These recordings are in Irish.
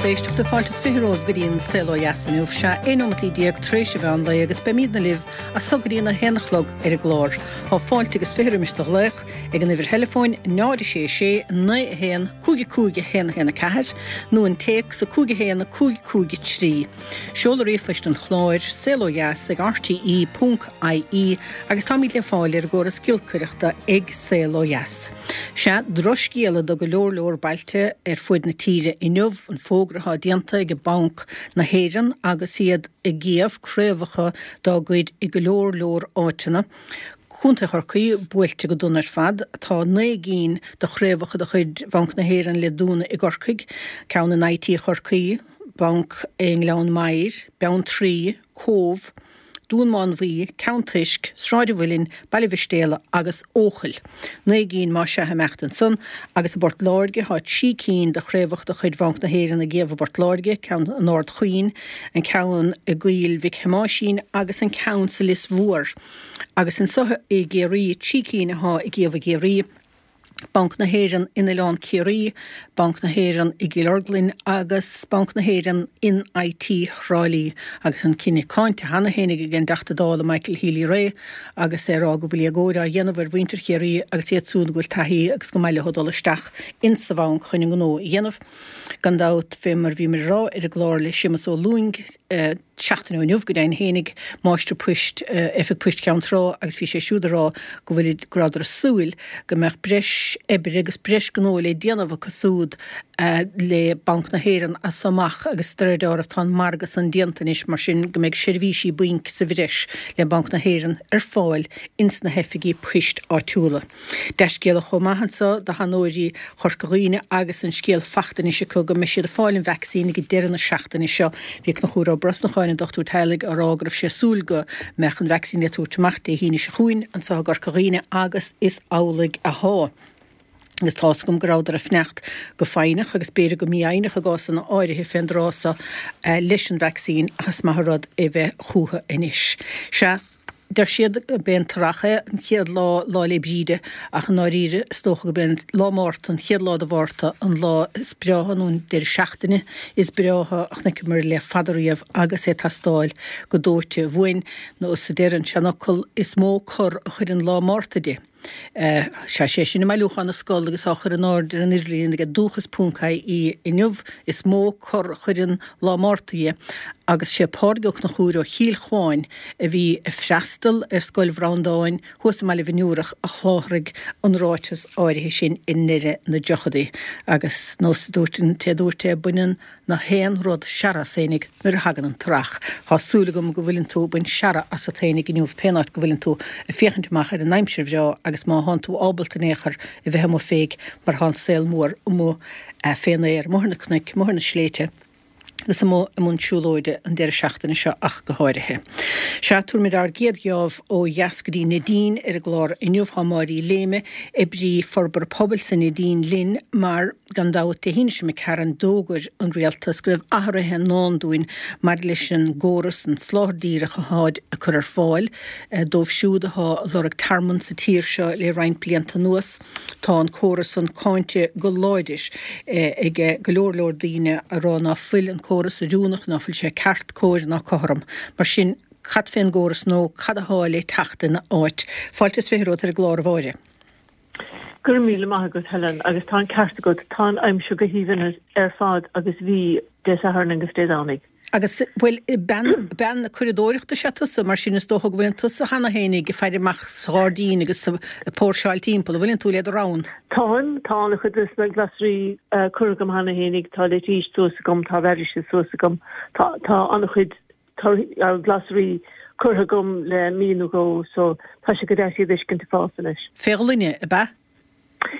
lucht éisteachta, fáilte is 20 romhaibh go dtí an Saol Ó Dheas inniu. Sea, 11 nóimeataí tar éis an mheán lae agus beimídne libh as so go dtí an 1 a chlog ar an gclár. Tá fáilte agus 20 roimis do ghlaoch ag an uimhir theileafóin 0 6 6 9 1 5 5 1 1 4 nó an téacs 5 1 5 5 3. Seoladh ríomhphoist an chláir, saolodheas ag rte ponc ie agus táimid le fáil ar an gcóras giolcaireachta ag Saol Ó Dheas. Sea, drochscéala do go leor leor bailte ar fuaid na tíre inniu, an fógra atá déanta ag Banc na hÉireann agus iad ag iamh craobhacha dá gcuid i go leor leor áiteanna. Contae Chorcaí buailte go dona ar fad. Tá 9 gcinn de chraobhacha de chuid Bhanc na hÉireann le dúnadh i gCorcaigh, ceann in IT Chorcaí, banc i nGleann Maghair, Beanntraí, Cóbh, Dún Mánmhaí, Ceann Toisc, Sráid an Mhuilinn, Baile Mhistéala agus Eochaill. 9 gcinn más ea ag imeacht ansan agus i bPort Láirge tá 3 cinn de chraobhacha de chuid Bhanc na hÉireann ag iamh i bPort Láirge, ceann in Ard Chaoin, an ceann i gCoill Mhic Thomáisín agus an ceann sa Lios Mhór. Agus anso i gCiarraí, 3 cinn athá ag iamh i gCiarraí. Banc na hÉireann in Oileán Ciarraí, Banc na hÉireann i gCill Orglan agus Banc na hÉireann in IT Thrá Lí agus an cinneadh cáinte cheana féin ag an dTeachta Dála Michael Healy-Rae agus é ag rá go bhfuil éagóir á dhéanamh ar mhuintir Chiarraí agus iad súd go bhfuil taithí agus go maith leo dul isteach insa bhanc chun a ngnó a dhéanamh. Gan dabht, fé mar a bhíomar ag rá ar an gclár le Séamus Ó Lúing, seachtain ó inniu go deimhin fhéinig, máistir poist Oifig Poist Cheann Trá agus bhí sé siúd ag rá go bhfuil, go rabhadar ag súil go mbeadh breis oibre agus breis gnó le déanamh acu súd le Banc na hÉireann as so amach agus de réir dealraimh tá an margadh san déanta anois mar sin go mbeidh seirbhísí bainc sa bhreis le Banc na hÉireann ar fáil ins na hoifigí poist áitiúla. Dea-scéala chomh maith anso do sheanóirí Chorca Dhuibhne agus an scéal fachta anois acu go mbeidh siad ag fáil an vacsaín ag deireadh na seachtaine seo. Bhí Conchúr Ó Brosnacháin, an dochtúir teaghlaigh, á rá go raibh sé ag súil go mbeadh an vacsaín le tabhairt amach Dé hAoine seo chugainn anso i gCorca Dhuibhne agus is amhlaidh athá. Agus tá's agam go rabhadar ag fanacht go foighneach agus b'fhéidir go mífhoighneach i gcásanna áirithe fén dtráth so leis an vacsaín ach is maith an rud é bheith chúthu anois. Sea. Deir siad gurb é an t-earrach é an chéad lá, Lá 'le Bríde, ach i ndáiríre is dócha gurb é an lá Márta, an chéad lá de Mhárta, an lá is breátha nó an deireadh seachtaine is breátha a chonaiceamar le fada riamh agus é ag teastáil go dóite uainn, nó is a deir an seanfhocal, is mó cor a chuireann lá Márta de. Sea, sé sin i mbailiúchán na Scol agus á chur in airde ar an idirlíon ag dúchas ponc ie inniu, is mó cor a chuireann lá Márta dhe agus sé Pádraig Ó Conchúir ó Chill Chuáin a bhí ag freastal ar Scoil Bhreandáin thuas i mBaile Bhinn Iúrach a sholáthraigh an ráiteas áirithe sin i ndeireadh na dtríochadaí agus nós a dúirt an té a dúirt é baineann na haon rud searradh as fhéinig nuair a thagann an t-earrach. Tá súil agam go bhfuileann tú ag baint searradh asat fhéinig inniu pén áit go bhfuileann tú ag féachaint amach ar an aimsir bhreá agus má thánn tú ábalta in aon chor a bheith amuigh féig mar thá an saol mór amuigh fén aer, amuigh ar na cnoic, amuigh ar na sléibhte agus amuigh i mbun siúlóide an deireadh seachtaine seo ach go háirithe. Sea, tabharfaimid ár gcéad gheábh ó dheas go dtí Neidín ar an gclár inniu. Tá Máire Uí Léime, oibrí forbartha pobail sa Neidín linn mar. Gan dabht, Dé hAoine seo imigh tharainn d'fhógair an Rialtas go raibh athruithe i ndán dúinn maidir leis an gcóras, an soláthar díreach atáid ag cur ar fáil dóibh siúd atá ag lorg tearmann sa tír seo le roinnt blianta anuas. Tá an córas san cáinte go láidir ag go leor leor daoine ag rá ná fuil an córas oiriúnach, ná fuil sé ceart, cóir ná cothrom. Mar sin, cad fén gcóras nó cad athá le teacht ina áit? Fáilte is 20 romhat ar an gclár, a Mháire. Go raibh míle maith agat, Helen, agus tá an ceart agat, tá an aimsir go haoibhinn ar fad agus bhí Dé Sathairn agus Dé Domhnaigh. Agus, bhuel, bean, bean curadóireachta is ea tusa, mar sin is dócha go bhfuileann tusa cheana fhéinig ag faire amach sa ghairdín agus ag póirseáil timpeall, an bhfuileann tú le do rann? Táim, tá an-chuid de na glasraí curtha agam cheana fhéinig, tá leitís suas agam, tá radishes suas agam, tá, tá an-chuid glasraí curtha agam le mí nó dhó so tá sé go deas iad a fheiscint ag fás anois. Fé ghloine, ab ea?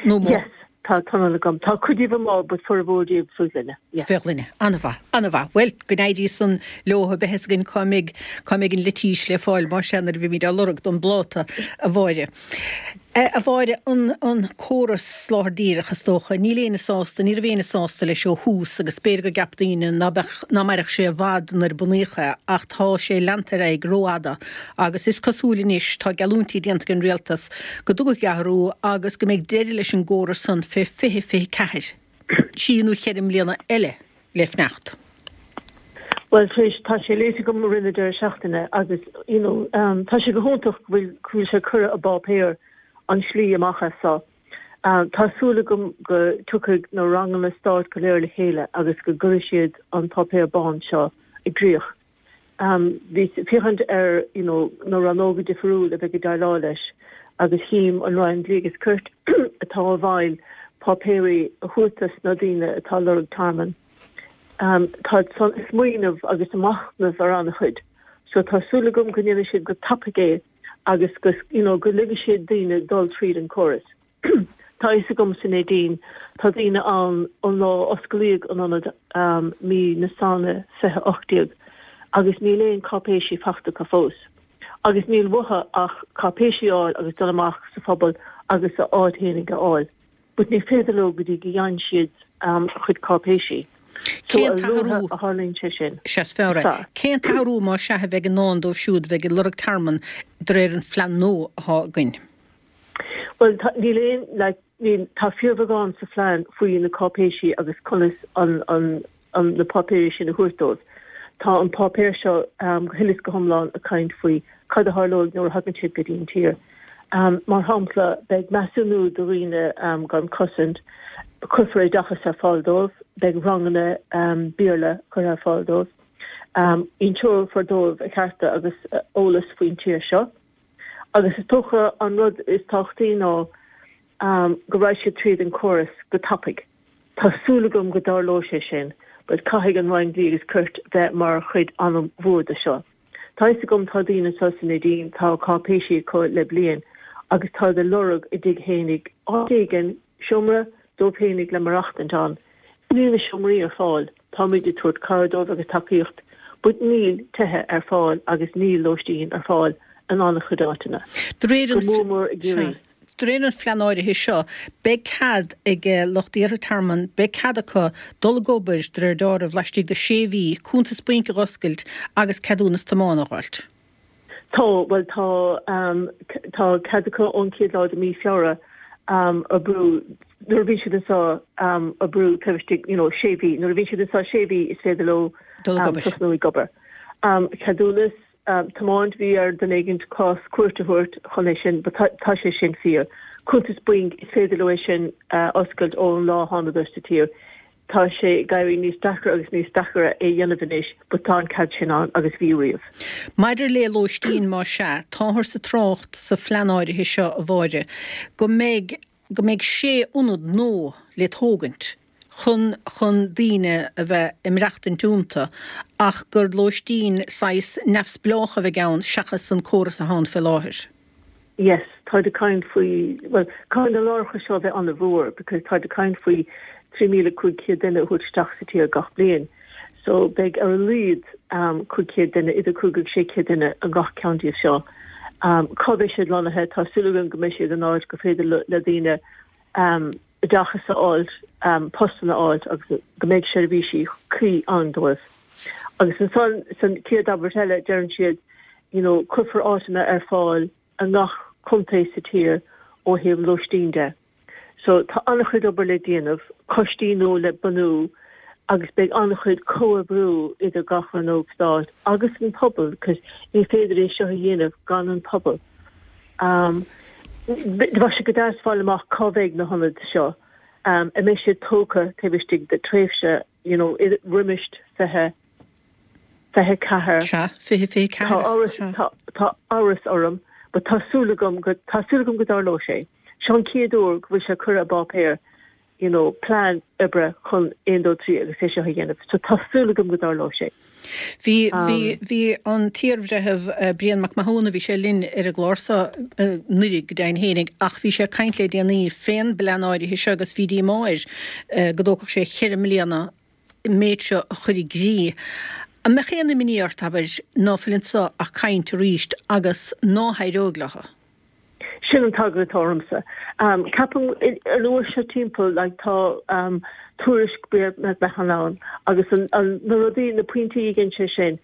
Nó amuigh? Yes, tá tunnel agam. Tá cuid díobh amuigh but formhór díobh faoi ghloine, yeah. Fé ghloine. An-mhaith, an-mhaith. Bhuel, go n-éirí san leo, beidh fhios againn cá mbeidh, cá mbeidh an leitís le fáil, más ea, nuair a bheimid á lorg don bpláta, a Mháire. A Mháire, an córas soláthar díreach, is dócha, níl éinne sásta, ní raibh éinne sásta leis ó thús agus b'fhéidir go gceap daoine ná beadh, ná mairfeadh sé i bhfad nuair a bunaíodh é ach tá sé leanta ar aghaidh rófhada agus is cosúil anois, tá geallúintí déanta ag an rialtas go dtiocfaidh athrú agus go mbeidh deireadh leis an gcóras san fé 2024, trí nó cheithre mbliana eile. le fanacht. Bhuel, tar éis, tá sé léite agam i rith na deireadh seachtaine agus, you know, tá sé go hiontach go bhfuil, go bhfuil sé curtha i bpáipéar an slí amach as seo. Tá súil agam go dtiocfaidh na ranganna stáit go léir le chéile agus go gcuirfidh siad an páipéar bán seo i gcrích. Bhíos ag féachaint ar you know na rannóga difriúil a bheidh ag déileáil leis agus chím an Roinn Dlí agus Cirt atá i bhfeighil páipéirí a thabhairt dos na daoine atá ag lorg tearmann. Táid san ag smaoineamh agus ag machnamh ar an-chuid so tá súil agam go ndéanfaidh siad go tapaidh é agus go you know go ligfidh siad daoine dul tríd an córas. Tá a fhios agam sa Neidín tá daoine ann ón lá a osclaíodh an ionad mí na Samhna 2018 agus níl aon cáipéisí fachta acu fós. Agus níl uathu ach cáipéisí a fháil agus dul amach sa phobal agus a áit fhéinig a fháil. But ní féidir leo go dtí go gheibheann siad a chuid cáipéisí. So Cén a t-athrú? luaithe a tharlaíonn sé sin, Sea, is fearr is é. fearr. Cén t-athrú más sea a bheidh i ndán dóibh siúd a bheidh ag lorg tearmann de réir an phlean nua atá againn? Bhuel, tá, níl aon, like, níl, tá fíorbheagán sa phlean faoi na cáipéisí agus conas an, an, an, na páipéirí sin a thabhairt dóibh. Tá an páipéar seo go huile is go hiomlán ag caint faoi cad a tharlóidh nuair a thagann siad go dtí an tír. Mar shampla, beidh measúnú do dhaoine gan cosaint, cuirfear oideachas ar fáil dóibh, beidh ranganna Béarla curtha ar fáil dóibh, inseofar dóibh a chearta agus eolas faoin tír seo. Agus is dócha an rud is tábhachtaí ná go raghaidh siad tríd an córas go tapaidh. Tá súil agam go dtarlóidh sé sin but caithfidh an Roinn Dlí agus Cirt bheith mar chuid an-mhór de seo. Tá fhios agam tá daoine anseo sa Neidín, tá cáipéisí acu le bliain agus táid ag lorg a dtigh fhéinig, áit éigin, seomra dóibh fhéinig le maireachtaint ann. Níl na seomraí ar fáil. Táimid ag tabhairt cabhair dóibh agus tacaíocht but níl tithe ar fáil agus níl lóistín ar fáil in an-chuid áiteanna. De réir Go an mór mór i gCiarraí. De réir an phlean áirithe seo, beidh cead ag lucht iarrtha tearmainn, beidh cead acu dul ag obair, de réir deáraimh, laistigh de sé mhí, cuntas bainc a dh'oscailt agus ceadúnas tiomána a dh'fháilt. Tá, bhuel tá, tá cead acu ón chéad lá de mí Feabhra oibriú, nuair a bhíonn siad anseo oibriú taobh istigh, you know, sé mhí, nuair a bhíonn siad anseo sé mhí is féidir leo Dul ag obair. tosnú ag obair. Ceadúnas tiomáint, bhí ar duine éigint cás cúirte a thabhairt chun é sin, but tá sé sin fíor. Cuntas bainc, is féidir leo é sin a oscailt ón lá a thánadar sa tír. Tá sé ag éirí níos deacra agus níos deacra é dhéanamh anois but tá an cead sin ann agus bhí riamh. Maidir le lóistín, más ea, táthar sa trácht sa phlean áirithe seo, a Mháire, go mbeidh go mbeidh sé ionad nua le tógaint chun chun daoine a bheith ag maireachtaint iontu ach gur lóistín saghas neamhspleách a bheidh ann seachas an córas atá ann fé láthair. Yes, táid ag caint faoi, bhuel, caithfidh na láithreacha seo a bheith an-mhór because táid ag caint faoi 3,500 duine a thabhairt isteach sa tír gach bliain. So beidh ar a laghad 500 duine, idir 5 agus 600 duine i ngach ceann díobh seo. Cá mbeidh siad lonnaithe? Tá súil againn go mbeidh siad in áit gur féidir le daoine oideachas a fháilt, postanna a fháilt agus go mbeidh seirbhísí cuí ann dóibh. Agus ansan san chéad abairt eile deireann siad you know cuirfear áiteanna ar fáil i ngach contae sa tír ó thaobh lóistín de. So tá an-chuid obair le déanamh, coistí nua le bunú agus beidh an-chuid comhoibriú idir gach rannóg stáit agus an pobal because ní féidir é seo a dhéanamh gan an pobal. Um, bheadh sé go deas fáil amach cá mbeidh na hionaid seo, um, an mbeidh siad tógtha taobh istigh de tréimhse you know, roimis 20, 24. Sea, 20, 24. Tá amhras, tá, tá amhras orm, but tá súil agam go, tá súil agam go dtarlóidh sé. Seo an chéad uair go bhfuil sé curtha i bpáipéar, you know, plean oibre chun 1, 2, 3 agus é seo a dhéanamh. So tá súil agam go dtarlóidh sé. Bhí, bhí, bhí an t-iarbhreitheamh Brian Mac Mathúna, bhí sé linn ar an gclár seo anuraidh go deimhin fhéinig, ach bhí sé ag caint le déanaí fén bplean áirithe seo agus bhí díomá air go dtógfadh sé cheithre mbliana an méid seo a chur i gcrích. An mbeadh aon imní ort, abair, ná fuil anso ach caint arís agus ná héireoidh leo? Sin an t-eagla atá ormsa. Ceapaim an uair seo timpeall like tá tuairisc Brian McMahon ann agus an na rudaí, na pointí a dhein sé sin,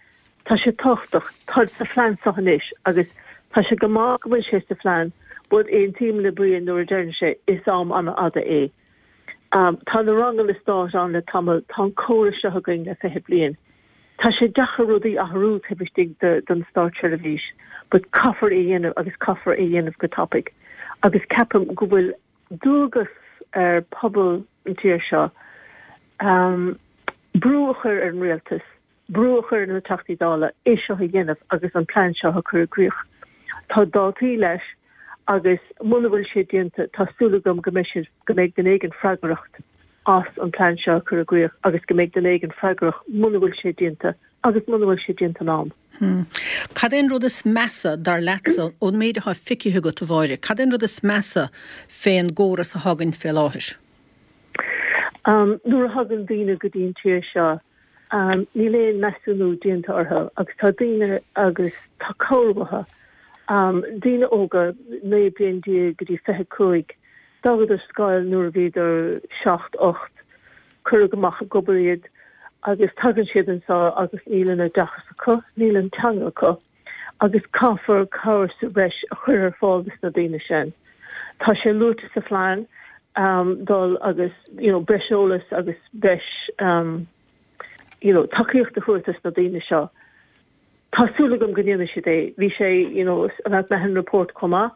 tá sé tábhachtach, táid sa phlean seo anois agus tá sé go maith go bhfuil sé sa phlean but aontaím le Brian nuair a deireann sé is am an-fhada é. Tá na ranganna stáit ann le tamall, tá an córas seo againn le 20 bliain. Tá sé deacair rudaí a athrú taobh istigh den státseirbhís but caithfear é a dhéanamh agus caithfear é a dhéanamh go tapaidh. Agus ceapaim go bhfuil dualgas ar pobal an tír seo brú a chur ar an rialtas, brú a chur ar na Teachtaí Dála é seo a dhéanamh agus an plean seo a chur i gcrích. Tá dátaí leis agus muna bhfuil sé déanta tá súil agam go mbeidh siad, go mbeidh duine éigin freagrach as an plean seo a chur i gcrích agus go mbeidh duine éigin freagrach muna bhfuil sé déanta agus muna bhfuil sé déanta in am. Cad é an rud is measa, dar leatsa, ón méid atá feicthe agat, a Mháire, cad é an rud is measa fén gcóras atá againn fé láthair? Nuair a thagann daoine go dtí an tír seo, níl aon measúnú déanta orthu agus tá daoine agus tá cabhair uathu. Daoine óga, 19 bliain go dtí 25, d'fhágadar scoil nuair a bhíodar 7, 8, cuireadh amach ag obair iad agus tagann siad anseo agus níl an oideachas acu, níl an teanga acu. agus caithfear cabhair sa bhreis a chur ar fáil dos na daoine sin. Tá sé luaite sa phlean dul agus you know breis eolas agus breis you know tacaíocht a thabhairt dos na daoine seo. Tá súil agam go ndéanfaidh siad é. Bhí sé you know sa Mahon Report chomh maith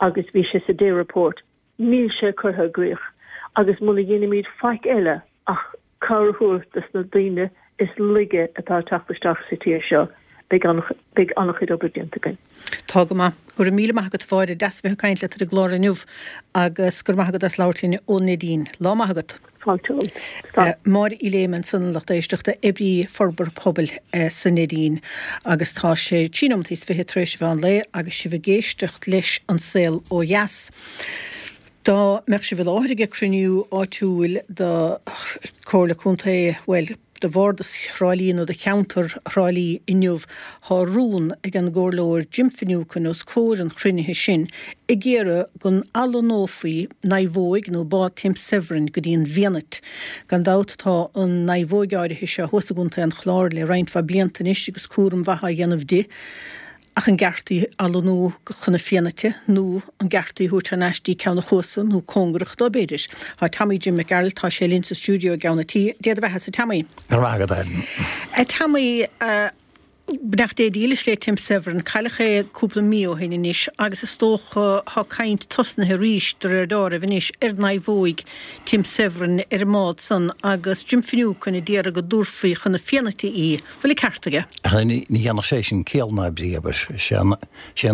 agus bhí sé sa Day Report. Níl sé curtha i gcrích agus muna dhéanaimid faic eile ach cabhair a thabhairt dos na daoine is laige atá ag teacht isteach sa tír seo, beidh beidh an-chuid obair déanta againn. Tá go maith. Go raibh míle maith agat a Mháire, deas a bheith ag caint leat ar an gclár inniu agus go raibh maith agat as labhairt linn ón Neidín. Lá maith agat. Fáilte romhat. Slán. Máire Uí Léime ansan, a lucht éisteachta, oibrí forbartha pobail sa Neidín. Agus tá sé trí nóimeataí is 20 tar éis an mheán lae agus sibh ag éisteacht leis An Saol Ó Dheas. Dá mbeadh sibh i láthair ag cruinniú áitiúil do Chomhairle Contae, bhuel, do Bhardas Thrá Lí nó do cheantar Thrá Lí inniu, tá rún ag an gComhairleoir Jim Finucane os comhair an chruinnithe sin ag iarraidh go n-athlonnófaí naomhóig nó bád Tim Severin go dtí an bhFianait. Gan dabht tá an naomhóig áirithe seo thuas i gContae an Chláir le roinnt mhaith blianta anois agus cúram mhaith á dhéanamh di. Ach an gceart í a athlonnú chun na Fianaite nó an gceart í a thabhairt thar n-ais dtí Ceann a' Chuasa nó cóngarach dó b'fhéidir? Tá Tommy Jim Mac Gearailt, tá sé linn sa stiúideo i gceann an tí. Dé do bheathasa, Tommy. Go raibh maith agat, Ellen. A Tommy, beannacht Dé dílis le Tim Severin, cailleadh é cúpla mí ó shin anois agus is dócha tá caint tosnaithe arís de réir deáraimh anois ar naomhóig Tim Severin ar an mbád san agus Jim Finucane a d'iarraidh go dtabharfaí chun na Fianaite í. Bhfuil an ceart aige? Ach ní dhéanfadh sé sin ciall ná brí, abair. Sé an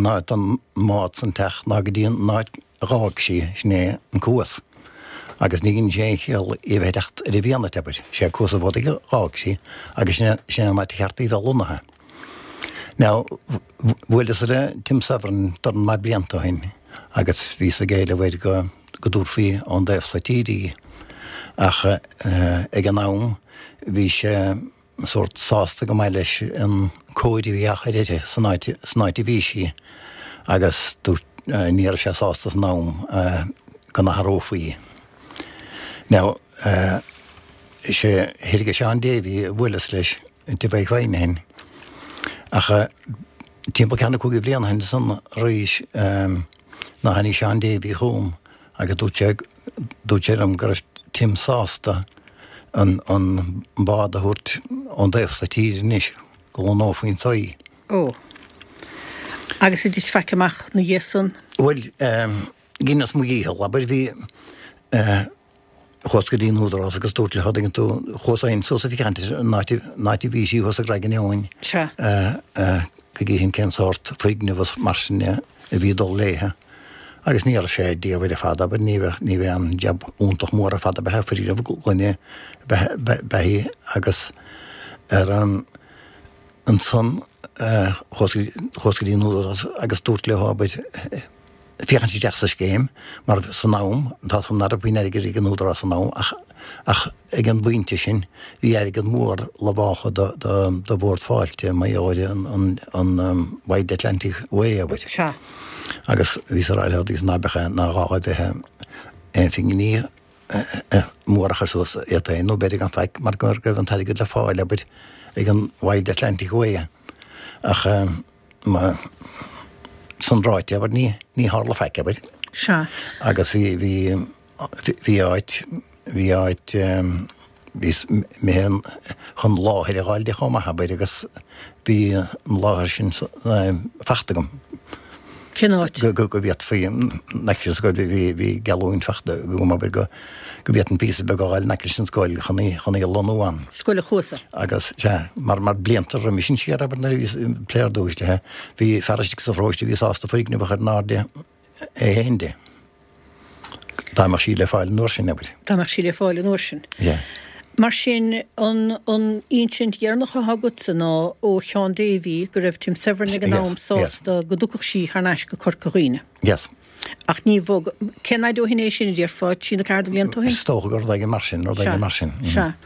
áit don mbád san teacht ná go dtí an áit a dh'fhág sí, sin é an cuas. Agus ní dhein sé aon chiall í a bheith ag teacht ar an bhFianait, abair. Sé Cuas an Bhodaigh a dh'fhág sí agus sin é an áit a cheart í bheith lonnaithe. Now, bhuaileas le Tim Severin dornán maith blianta ó shin agus bhíos ag éileamh air go go dtabharfaí ón dtaobh so tíre í. Ach ag an am bhí sé sórt sásta go maith leis an cóir a bhí á chur uirthi san áit san áit a bhí sí agus dúirt ní raibh sé sásta san am go n-athrófaí í. Now is é thiar ag Seán Davy a bhuaileas leis i dTigh Mhaidhc Mhaidhc ó shin ach timpeall ceathrú nó cúig bhliain ó shin san arís ná tháinig Seán Davy chugam agus dúirt sé, dúirt sé liom go raibh Tim sásta an, an bád a thabhairt ón dtaobh so tíre anois, go lonnófaí anso í. Ó. Agus ar thit faic amach 'na dhiaidh san? Bhuel, dheineas mo dhícheall, abair, bhí, eh, chuas go dtí an Údarás agus dúrt leo, tuigeann tú, chuas féin suas ag féachaint ar an áit, an áit a bhí sí thuas i gCarraig an Eoin, Sea. eh, eh, go gcífinn cén sórt foirgneamh is mar sin a bhí ag dul léithe. Agus ní raibh sé diamhair ar fad, abair, ní bheadh, ní bheadh an jab iontach mór ar fad ab ea foirgneamh gloine ab ea í agus ar an, ansan chuas, chuas go dtí an Údarás agus dúrt leo, abair, féachaint isteach sa scéim mar san am, tá 's agam nach raibh puinn airgid ag an Údarás san am ach, ach ag an bpointe sin bhí airgead mór lamháltha do, do, do Bhord Fáilte mar gheall ar an, an, an Wild Atlantic Way, abair. Sea. Agus bhíos ag rá leo agus ná beadh, ná gá a bheith aon phingin mór a chur suas iad féin nó b'fhéidir gan faic mar go raibh an t-airgead le fáil, abair, ag an Wild Atlantic Way. Ach mar san ráite, abair, ní, ní tharla faic, abair. Sea. Agus bhí, bhí, bhí áit. bhí áit, bhí mé chun láthair a dh'fháil di chomh maith, abair, agus bhí an láthair sin fachta agam. Cén áit? Go bhféadfaí, in aice leis an scoil, bhí geallúint fachta agam, abair, go bhféadfainn píosa beag a dh'fháil in aice leis an scoil chun í, chun í a lonnú ann. Scoil an Chuasa. Agus, sea, mar, mar blianta roimis sin siar, abair, nuair a bhíos ag plé ar dtúis léi, bhí fear istigh sa pharóiste a bhí sásta foirgneamh a chur in airde é féin di. Dá mbeadh sí le fáil an uair sin, abair. Dá mbeadh sí le fáil an uair sin. Yeah. Mar sin, an an insint dheireanach atá agatsa ná ó Sheán Davy go raibh Tim Severin ag an am sásta go dtiocfadh sí thar n-ais go Corca Dhuibhne. Yes. Ach ní bhog, cén fhaid ó shin é sin, a déarfá, trí nó ceathair de bhlianta ó shin? Is dócha gur rud éigin mar sin, rud éigin mar sin. Sea.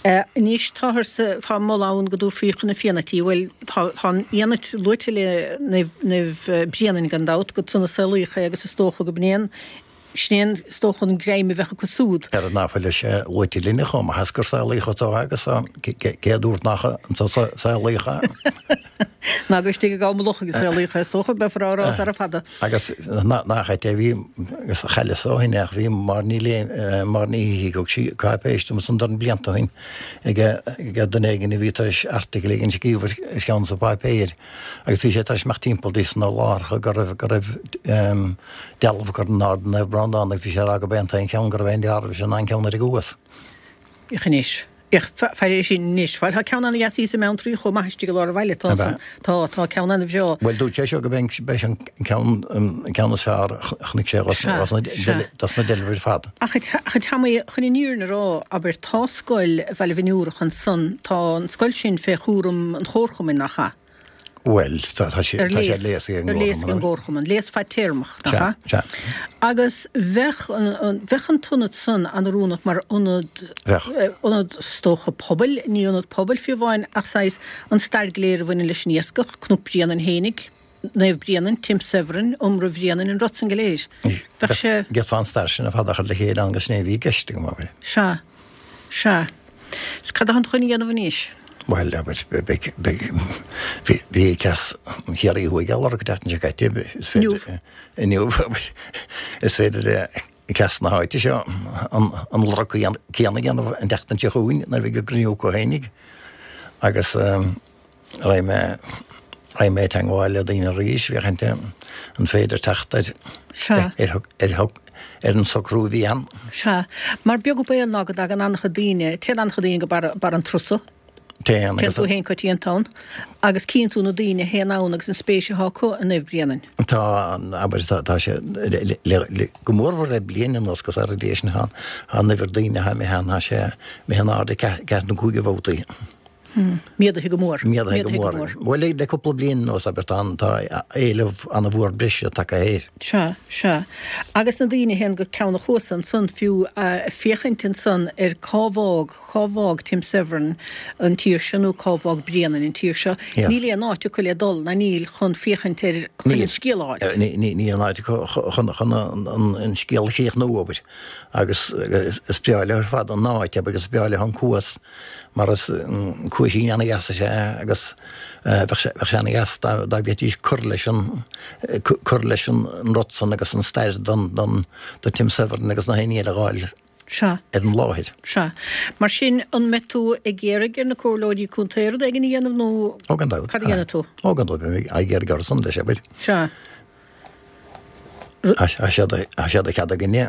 Sea. Anois táthar sa, tá moladh ann go dtabharfaí chun na Fiannaite í, bhuel, tá, tá an Fhianait luaite le Naomh, Naomh Bréanainn gan dabht, gur ansan a saolaíodh é agus is dócha go b'in é an, sin é an, is dócha an greim a bheadh acu súd. Ar ná fuil sé luaite linne chomh maith is gur saolaíodh anso é agus cé a dúirt nach anso a saolaíodh é? Ná gur istigh i gCam Locha a saolaíodh é, is dócha, beifear á rá sara fada. Agus nach ait é, bhí, agus chailleas ó shin é, ach bhí Máire Ní Máire Ní hÍcí, thug sí cáipéis dom ansan dorn blianta ó shin ag duine éigin a bhí tar éis article éigin a scríobh ar cheann de na páipéir agus bhí sé tar éis imeacht timpeall dos na láithreacha go raibh, go raibh dealbh curtha in airde Naomh Breandán agus bhí sé ag rá go b'é an t-aon cheann go raibh aon dealramh leis ná an ceann ar an gCuas. Féach anois. Féach, faire é sin anois. Bhuel, tá ceann ana-dheas thíos i mBeanntraí chomh maith istigh i lár an bhaile. Tá san. Tá, tá ceann ana-bhreá. Bhuel, dúirt sé seo go b'é an ceann, an ceann is fearr a chonaic sé dos na, dos na deilbh ar fad. Ach, ach a Tommy, chun an fhírinne a rá, abair, tá scoil Bhaile Bhinn Iúrach ansan, tá an scoil sin fé chúram an Chomharchumainn, nach ea? Bhuel, tá sé ar léas ag an gComharchumann, léas fadtéarmach, nach ea? Sea, sea. Agus bheadh bheadh an t-ionad san an-oiriúnach mar ionad, ionad is dócha pobail, ní ionad pobail fiú amháin ach saghas an stair go léir a bhaineann leis an iascach, Cnoc Bréanainn fhéinig, Naomh Bréanainn, Tim Severin, iomramh Bhréanainn, an rud san go léir. Bheadh sé. D'fhéadfá an stair sin ar fad a chur le chéile ann agus sin é a bhí i gceist agam, abair. Sea. Sea. Is cad atánn tú chun a dhéanamh anois? Bhuel, abair, beidh, beidh, bhí, bhí cleas Chiarraí Thuaidh á lorg an tseachtain seo caite, is féidir, Inniu. Inniu, abair, is féidir le cleas na háite seo an, an lorg céanna a dhéanamh an tseachtain seo chugainn nuair a bheidh an gcruinniú acu fhéinig agus, Raghaidh mé, raghaidh mé i dteangmháil le daoine arís féachaint an féidir teacht ar, Sea. ar, ar, ar an socrú a bhí ann. Sea. Mar beag an baol ná go dtagann an-chuid daoine, téann an-chuid daoine go barr, barr an Trusa. Téann Téann agus. tú féin coitianta ann. Agus cíonn tú na daoine a théann ann agus an spéis atá acu i Naomh Bréanainn. Tá, abair, tá, tá sé, le, le, le, go mórmhór le bliain anuas agus ar an sin, tá, tá an uimhir daoine atá imithe ann, tá sé imithe in airde ceathair nó cúig de bhabhtaí. Méadaithe go mór. Méadaithe go mór. Bhuel, le cúpla bliain anuas, abair, tá tá éileamh an-mhór breise tagtha air. Sea, sea. Agus na daoine a théann go Ceann an Chuasa ansan fiú, ag féachaint ansan ar cá bhfág, cá bhfág Tim Severin an tír seo nó cá bhfág Bréanainn an tír seo, níl aon áit acu le dul, ná níl, chun féachaint ar, chun an scéal a fháilt. Níl, níl aon áit acu chun, chun an scéal a chríochnú, abair. Agus is breá leo ar fad an áit, abair, agus is breá leo an cuas. mar is cuaisín ana-dheas is ea é agus bheadh sé bheadh sé ana-dheas dá dá bhféadfaidís cur leis an cur leis an rud san agus an stair don don do Tim Severin agus na héinne eile a dh'fháil Sea. ar an láthair. Sea. Mar sin, an mbeidh tú ag iarraidh ar na comhairleoirí contae rud éigin a dhéanamh nó Ó gan dabht. cad a dhéanfaidh tú? Ó gan dabht, beidh mé ag iarraidh orthu san leis, abair. Sea. Tá sé de chead againne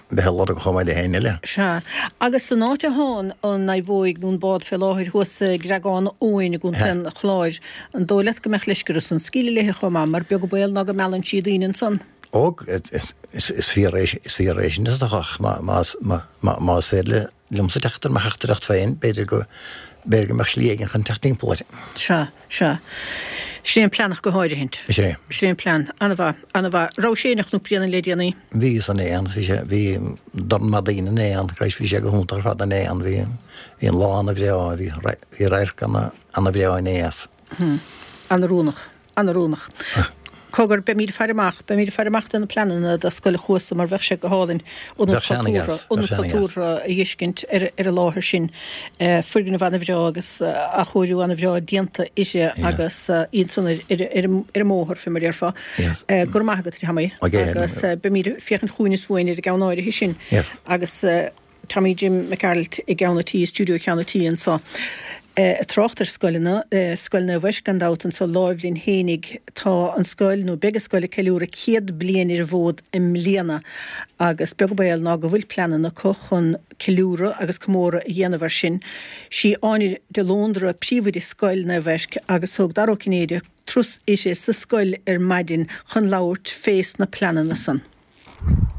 bheith ag lorg chomh maith le héinne eile. Sea. Agus san áit atá an naomhóig nó an bád fé láthair thuas i gCreagán Eoin i gContae an Chláir, an dóigh leat go mbeadh leisce orthu san scaoileadh léithe chomh maith, mar beag an baol ná go meallann sí daoine ansan? Ó, is fíor é sin is dócha, ach más féidir le liomsa teacht ar mo theachtaireacht féin, b'fhéidir go, b'fhéidir go mbeadh slí éigin chun teacht timpeall air. Sea, sea. Sin é an plean ach go háirithint. Is é. Sin é an plean. An-mhaith, an-mhaith. Raibh sé ar Chnoc Bréanainn le déanaí? Bhíos inné ann, bhí sé, bhí dorn maith daoine inné ann, Christ bhí sé go hiontach ar fad inné ann, bhí, bhí an lá ana-bhreá, bhí, bhí radharc ana, ana-bhreá inné as. An-oiriúnach. An-oiriúnach. Cogar, beimid ag faire amach, beimid ag faire amach do na pleananna do Scoil an Chuasa mar bheadh sé go hálainn ionad cultúrtha, ionad cultúrtha a dh'fheiscint ar ar an láthair sin. Foirgneamh ana-bhreá agus athchóiriú ana-bhreá déanta uirthi agus í ansan ar ar ar an mbóthar, fé mar a déarfá. Go raibh maith agat, a Tommy, agus beimid ag féachaint chugainn is uainn ar an gceann áirithe sin agus. Tommy Jim Mac Gearailt i gceann a' tí, i stiúideo Cheann a' Tí anso. Ag trácht ar scoileanna, Scoil Naomh Eirc gan dabht anso láimh linn fhéinig. Tá an scoil, nó beidh an scoil ag ceiliúradh 100 bliain ar an bhfód i mbliana agus beag an baol ná go bhfuil pleananna acu chun ceiliúradh agus comóradh a dhéanamh air sin. Sí Áine de Lóndra príomhoide Scoil Naomh Eirc agus thug Dara Ó Cinnéide turas uirthi sa scoil ar maidin chun labhairt fés na pleananna san.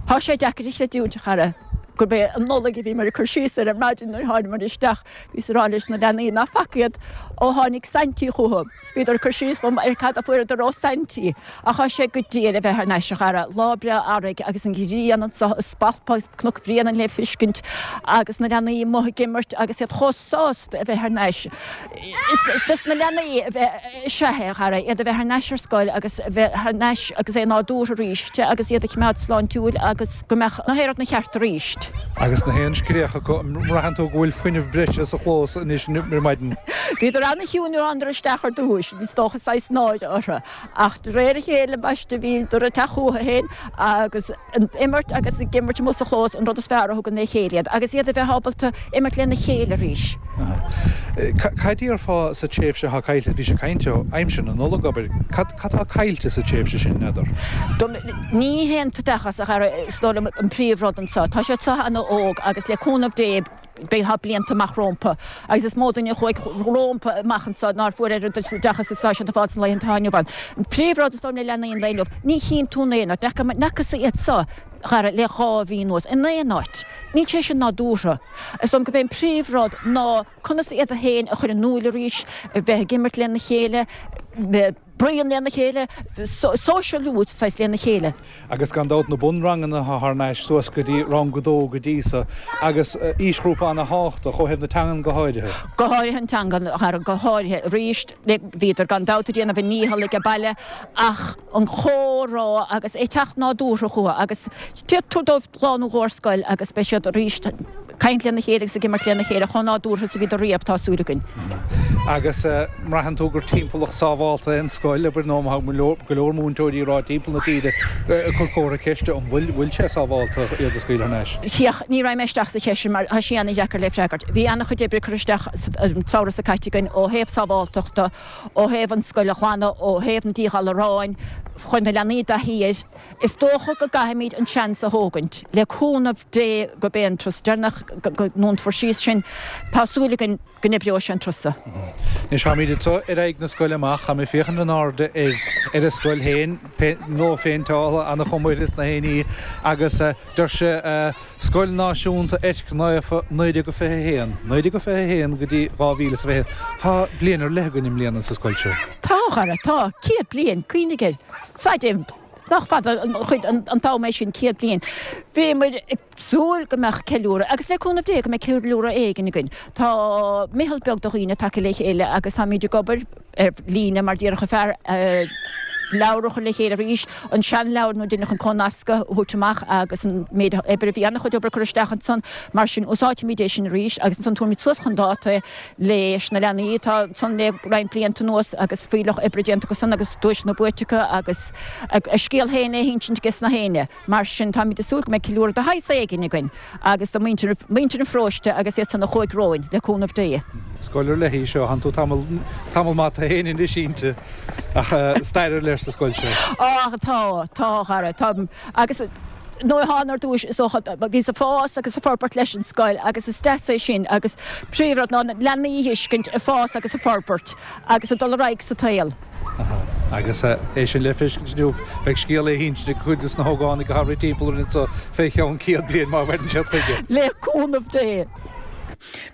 Tá sé deacair a chreidiúint, a chara, gurb é an Nollaig a bhíomar ag cur síos air ar maidin nuair a thánamar isteach. Bhíos ag rá leis na leanaí ná faca iad ó tháinig Saintí chucu. 'S bhíodar ag cur síos dom ar cad a fuaireadar ó Saintí. Ach tá sé go diail a bheith thar n-ais, a chara. Lá breá earraigh agus an ghrian anso ag spalpadh agus Cnoc Bhréanainn le fiscint agus na leanaí amuigh ag imirt agus iad chomh sásta a bheith thar n-ais. Is dos na leanaí a bheith. Sea, a chara, iad a bheith thar n-ais ar scoil agus a bheith thar n-ais agus é nádúrtha arís agus iad a choimeád sláintiúil agus go mbeadh na haon rud ina cheart arís. Agus na haon scréach acu, an mbraitheann tú go bhfuil fuinneamh breise sa chlós anois ar maidin? Bhíodar ana-chiúin nuair a thánadar isteach ar dtúis, bhí is dócha saghas náire orthu, ach de réir a chéile ambaiste bhíodar ag teacht chucu féin agus. ag imirt agus ag imirt amuigh sa chlós an rud is fearr a thugann le chéile iad agus iad a bheith ábalta imirt lena chéile arís. Cad déarfá sa tréimhse atá caillte, bhís ag caint ó aimsir na Nollag, abair, cad atá caillte sa tréimhse sin, n'fheadar? Ní hé an t-oideachas, a chara, is dóigh liom an príomhrud anseo. Tá siad seo ana-óg agus le cúnamh Dé, beidh tá blianta amach rómpa agus is mó duine a chuaigh rómpa amach anso nár fuair oiread oideachas is atá siad ag fáil sna laethanta atá inniu ann. An príomhrud is dóigh liom le leanaí an lae inniu, ní chíonn tú in aon áit, n'fhacasa iad so, a chara, le 2 mhí anuas, in aon áit. Níl sé sin nádúrtha. Is dóigh liom gurb é an príomhrud ná conas iad féin a chur in iúl arís, a bheith ag imirt lena chéile, bruíon lena chéile, sóisialú saghas lena chéile. Agus gan dabht na bunranganna atá thar n-ais suas go dtí rang a dó go dtí so, agus aoisghrúpa ana-thábhachtach ó thaobh na teangan go háirithe. Go háirithe an teanga, a chara, go háirithe. Arís, bhíodar gan dabht ag déanamh a ndícheall age baile ach an comhrá agus é teacht nádúrtha chucu agus tabhair dóibh lá nó dhó ar scoil agus beidh siad arís caint lena chéile agus ag imirt lena chéile chomh nádúrtha is a bhíodar riamh, tá súil againn. Agus mbraitheann tú gur timpeallacht sábhálta é an scoil, abair, nó tá go leor múinteoirí ag rá timpeall na tíre ag cur comhartha ceiste an bhfuil bhfuil sé sábhálta iad a scaoileadh thar n-ais? Féach, ní raghaidh mé isteach sa cheist sin mar tá sí ana-dheacair le freagairt. Bhí ana-chuid oibre curtha isteach an samhradh seo caite againn ó thaobh sábháltachta, ó thaobh an scoil a ghlanadh, ó thaobh na díghalaráin, chuir na leanaí i dtaithí air. Is dócha go gcaithfimid an seans a thógaint, le cúnamh Dé gurb é an turas deireanach go ndúnfar síos sinn. Tá súil againn go n-oibreoidh sé an turas seo. Anois táimid anseo ar aghaidh na scoile amach. Táim ag féachaint in airde ar ar an scoil féin, nua-phéinteáilte, ana-chuma uirthi is na haon ní agus deir sé Scoil Náisiúnta Eirc Naofa 1921, 1921 go dtí 2021. Tá bliain ar leith againn i mbliana sa scoil seo. Tá, a chara, tá. 100 bliain, cuimhnigh air. Nach fada an chuid an t-am é sin, 100 bliain. Bhíomar ag súil go mbeadh ceiliúradh, agus le cúnamh Dé go mbeidh ceiliúradh éigin againn. Tá meitheal beag de dhaoine tagtha le chéile agus táimid ag obair ar líne mar déarfadh an fear, leabhar a chur le chéile arís, an seanleabhar nó deineadh an comhnascadh a thabhairt amach agus an méid oibre, bhí an-chuid oibre curtha isteach ansan, mar sin úsáidfimid é sin arís agus ansan tabharfaimid suas chun dáta é leis na leanaí atá ansan le roinnt blianta anuas agus fuílleach oibre déanta acu san agus duaiseanna buaite acu agus a scéal féin le hinsint aige sna héinne. Mar sin táimid ag súil go mbeidh ceiliúradh de shaghas éigin againn agus do mhuintir muintir an pharóiste agus iad san a chuaigh romhainn, le cúnamh Dé. Scoil ar leith í seo, thánn tú tamall tamall maith tú féin anois inti ach stair ar leith sa scoil seo. Á tá, tá a chara, tá agus nuair a thána ar dtúis is dócha bhíos ag fás agus ag forbairt leis an scoil agus is deas é sin agus príomhrud ná na leanaí a fheiscint ag fás agus ag forbairt agus ag dul ar aghaidh sa tsaol. Agus é sin le feiscint inniu, beidh scéal le hinsint ag cuid de na hógánaigh atá ag rith timpeall orainn anseo fé cheann 100 bliain má mhaireann siad chuige. Le cúnamh Dé.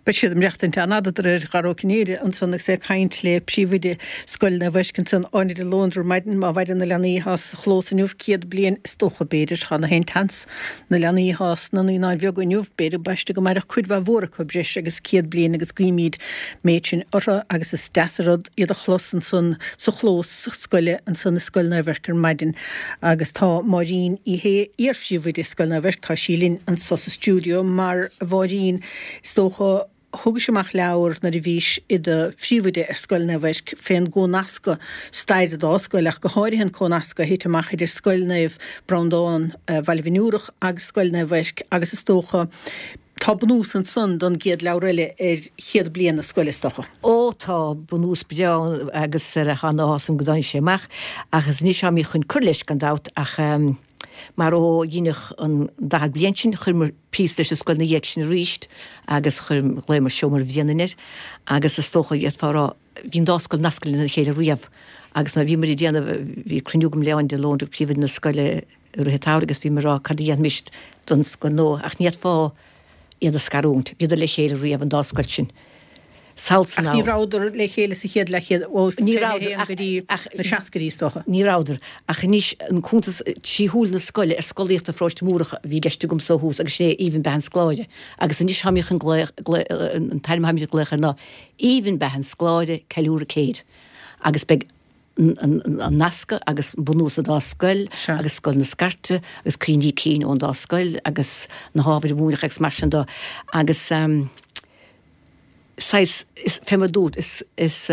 Beidh siad ag maireachtaint an-fhada de réir Dhara Ó Cinnéide ansan agus é ag caint le príomhoide Scoil Naomh Eirc ansan, Áine de Lóndra ar maidin. Má mhaireann na leanaí atá sa chlós inniu 100 bliain is dócha b'fhéidir, tá na haon tseans, na leanaí atá sna naíonáin bheaga inniu, b'fhéidir ambaiste go mairfeadh cuid mhaith mhór acu breis agus 100 bliain agus guímid méid sin orthu agus is deas an rud iad a chlos ansan sa chlós scoile ansan i Scoil Naomh Eirc ar maidin agus tá Máirín Uí Shé, iar-phríomhoide Scoil Naomh Eirc, tá sí linn anso sa stiúideo mar, a Mháirín, is dócha, thugais amach leabhar nuair a bhís i do phríomhoide ar Scoil Naomh Eirc fén gcomhnascadh, stair an dá scoil ach go háirithe an comhnascadh a thit amach idir Scoil Naomh Breandán, Bhaile Bhinn Iúrach agus Scoil Naomh Eirc agus is dócha. Tá bunús ansan don gcéad leabhar eile ar chéad bliain na scoile, is dócha. Ó tá, bunús breá ann agus tá an-áthas orm go dtáinig sé amach ach is anois táimid chun cur leis gan dabht ach mar ó dheineadh an 40 bliain sin chuireamar píosa leis an scoil ina dhiaidh sin arís agus chuir, ghlaomar Seomra Bhréanainn air agus is dócha d'fhéadfá a rá bhí an dá scoil nasctha lena chéile riamh agus nuair a bhíomar ag déanamh, bhí cruinniú agam le Eoin de Lóndra, príomhoide na scoile i rith an tsamhraidh agus bhíomar ag rá cad a dhéanfaimis don scoil nua ach ní fhéadfá iad a scarúint, bhíodar le chéile riamh an dá scoil sin. Sall san Ach ní rabhadar le chéile sa chéad leathchéad, ó 21 go dtí na seascaidí is dócha. Ní rabhadar. Ach anois an cuntas trí shúile na scoile ar scolaíocht i bParóiste Múrach a bhí i gceist agamsa ó thús agus sin é Aoibhinn Beatha an Scoláire. Agus anois táimid chun glaoch, an t-ainm atáimid ag glaoch air ná Aoibhinn Beatha an Scoláire, Ceiliúradh Céid. Agus beidh an nascadh agus bunús an dá scoil agus Scoil na Scairte agus cuimhní cinn ón dá scoil agus na hábhair a múineadh agus mar sin de agus saghas, is, fé mar a dúrt, is, is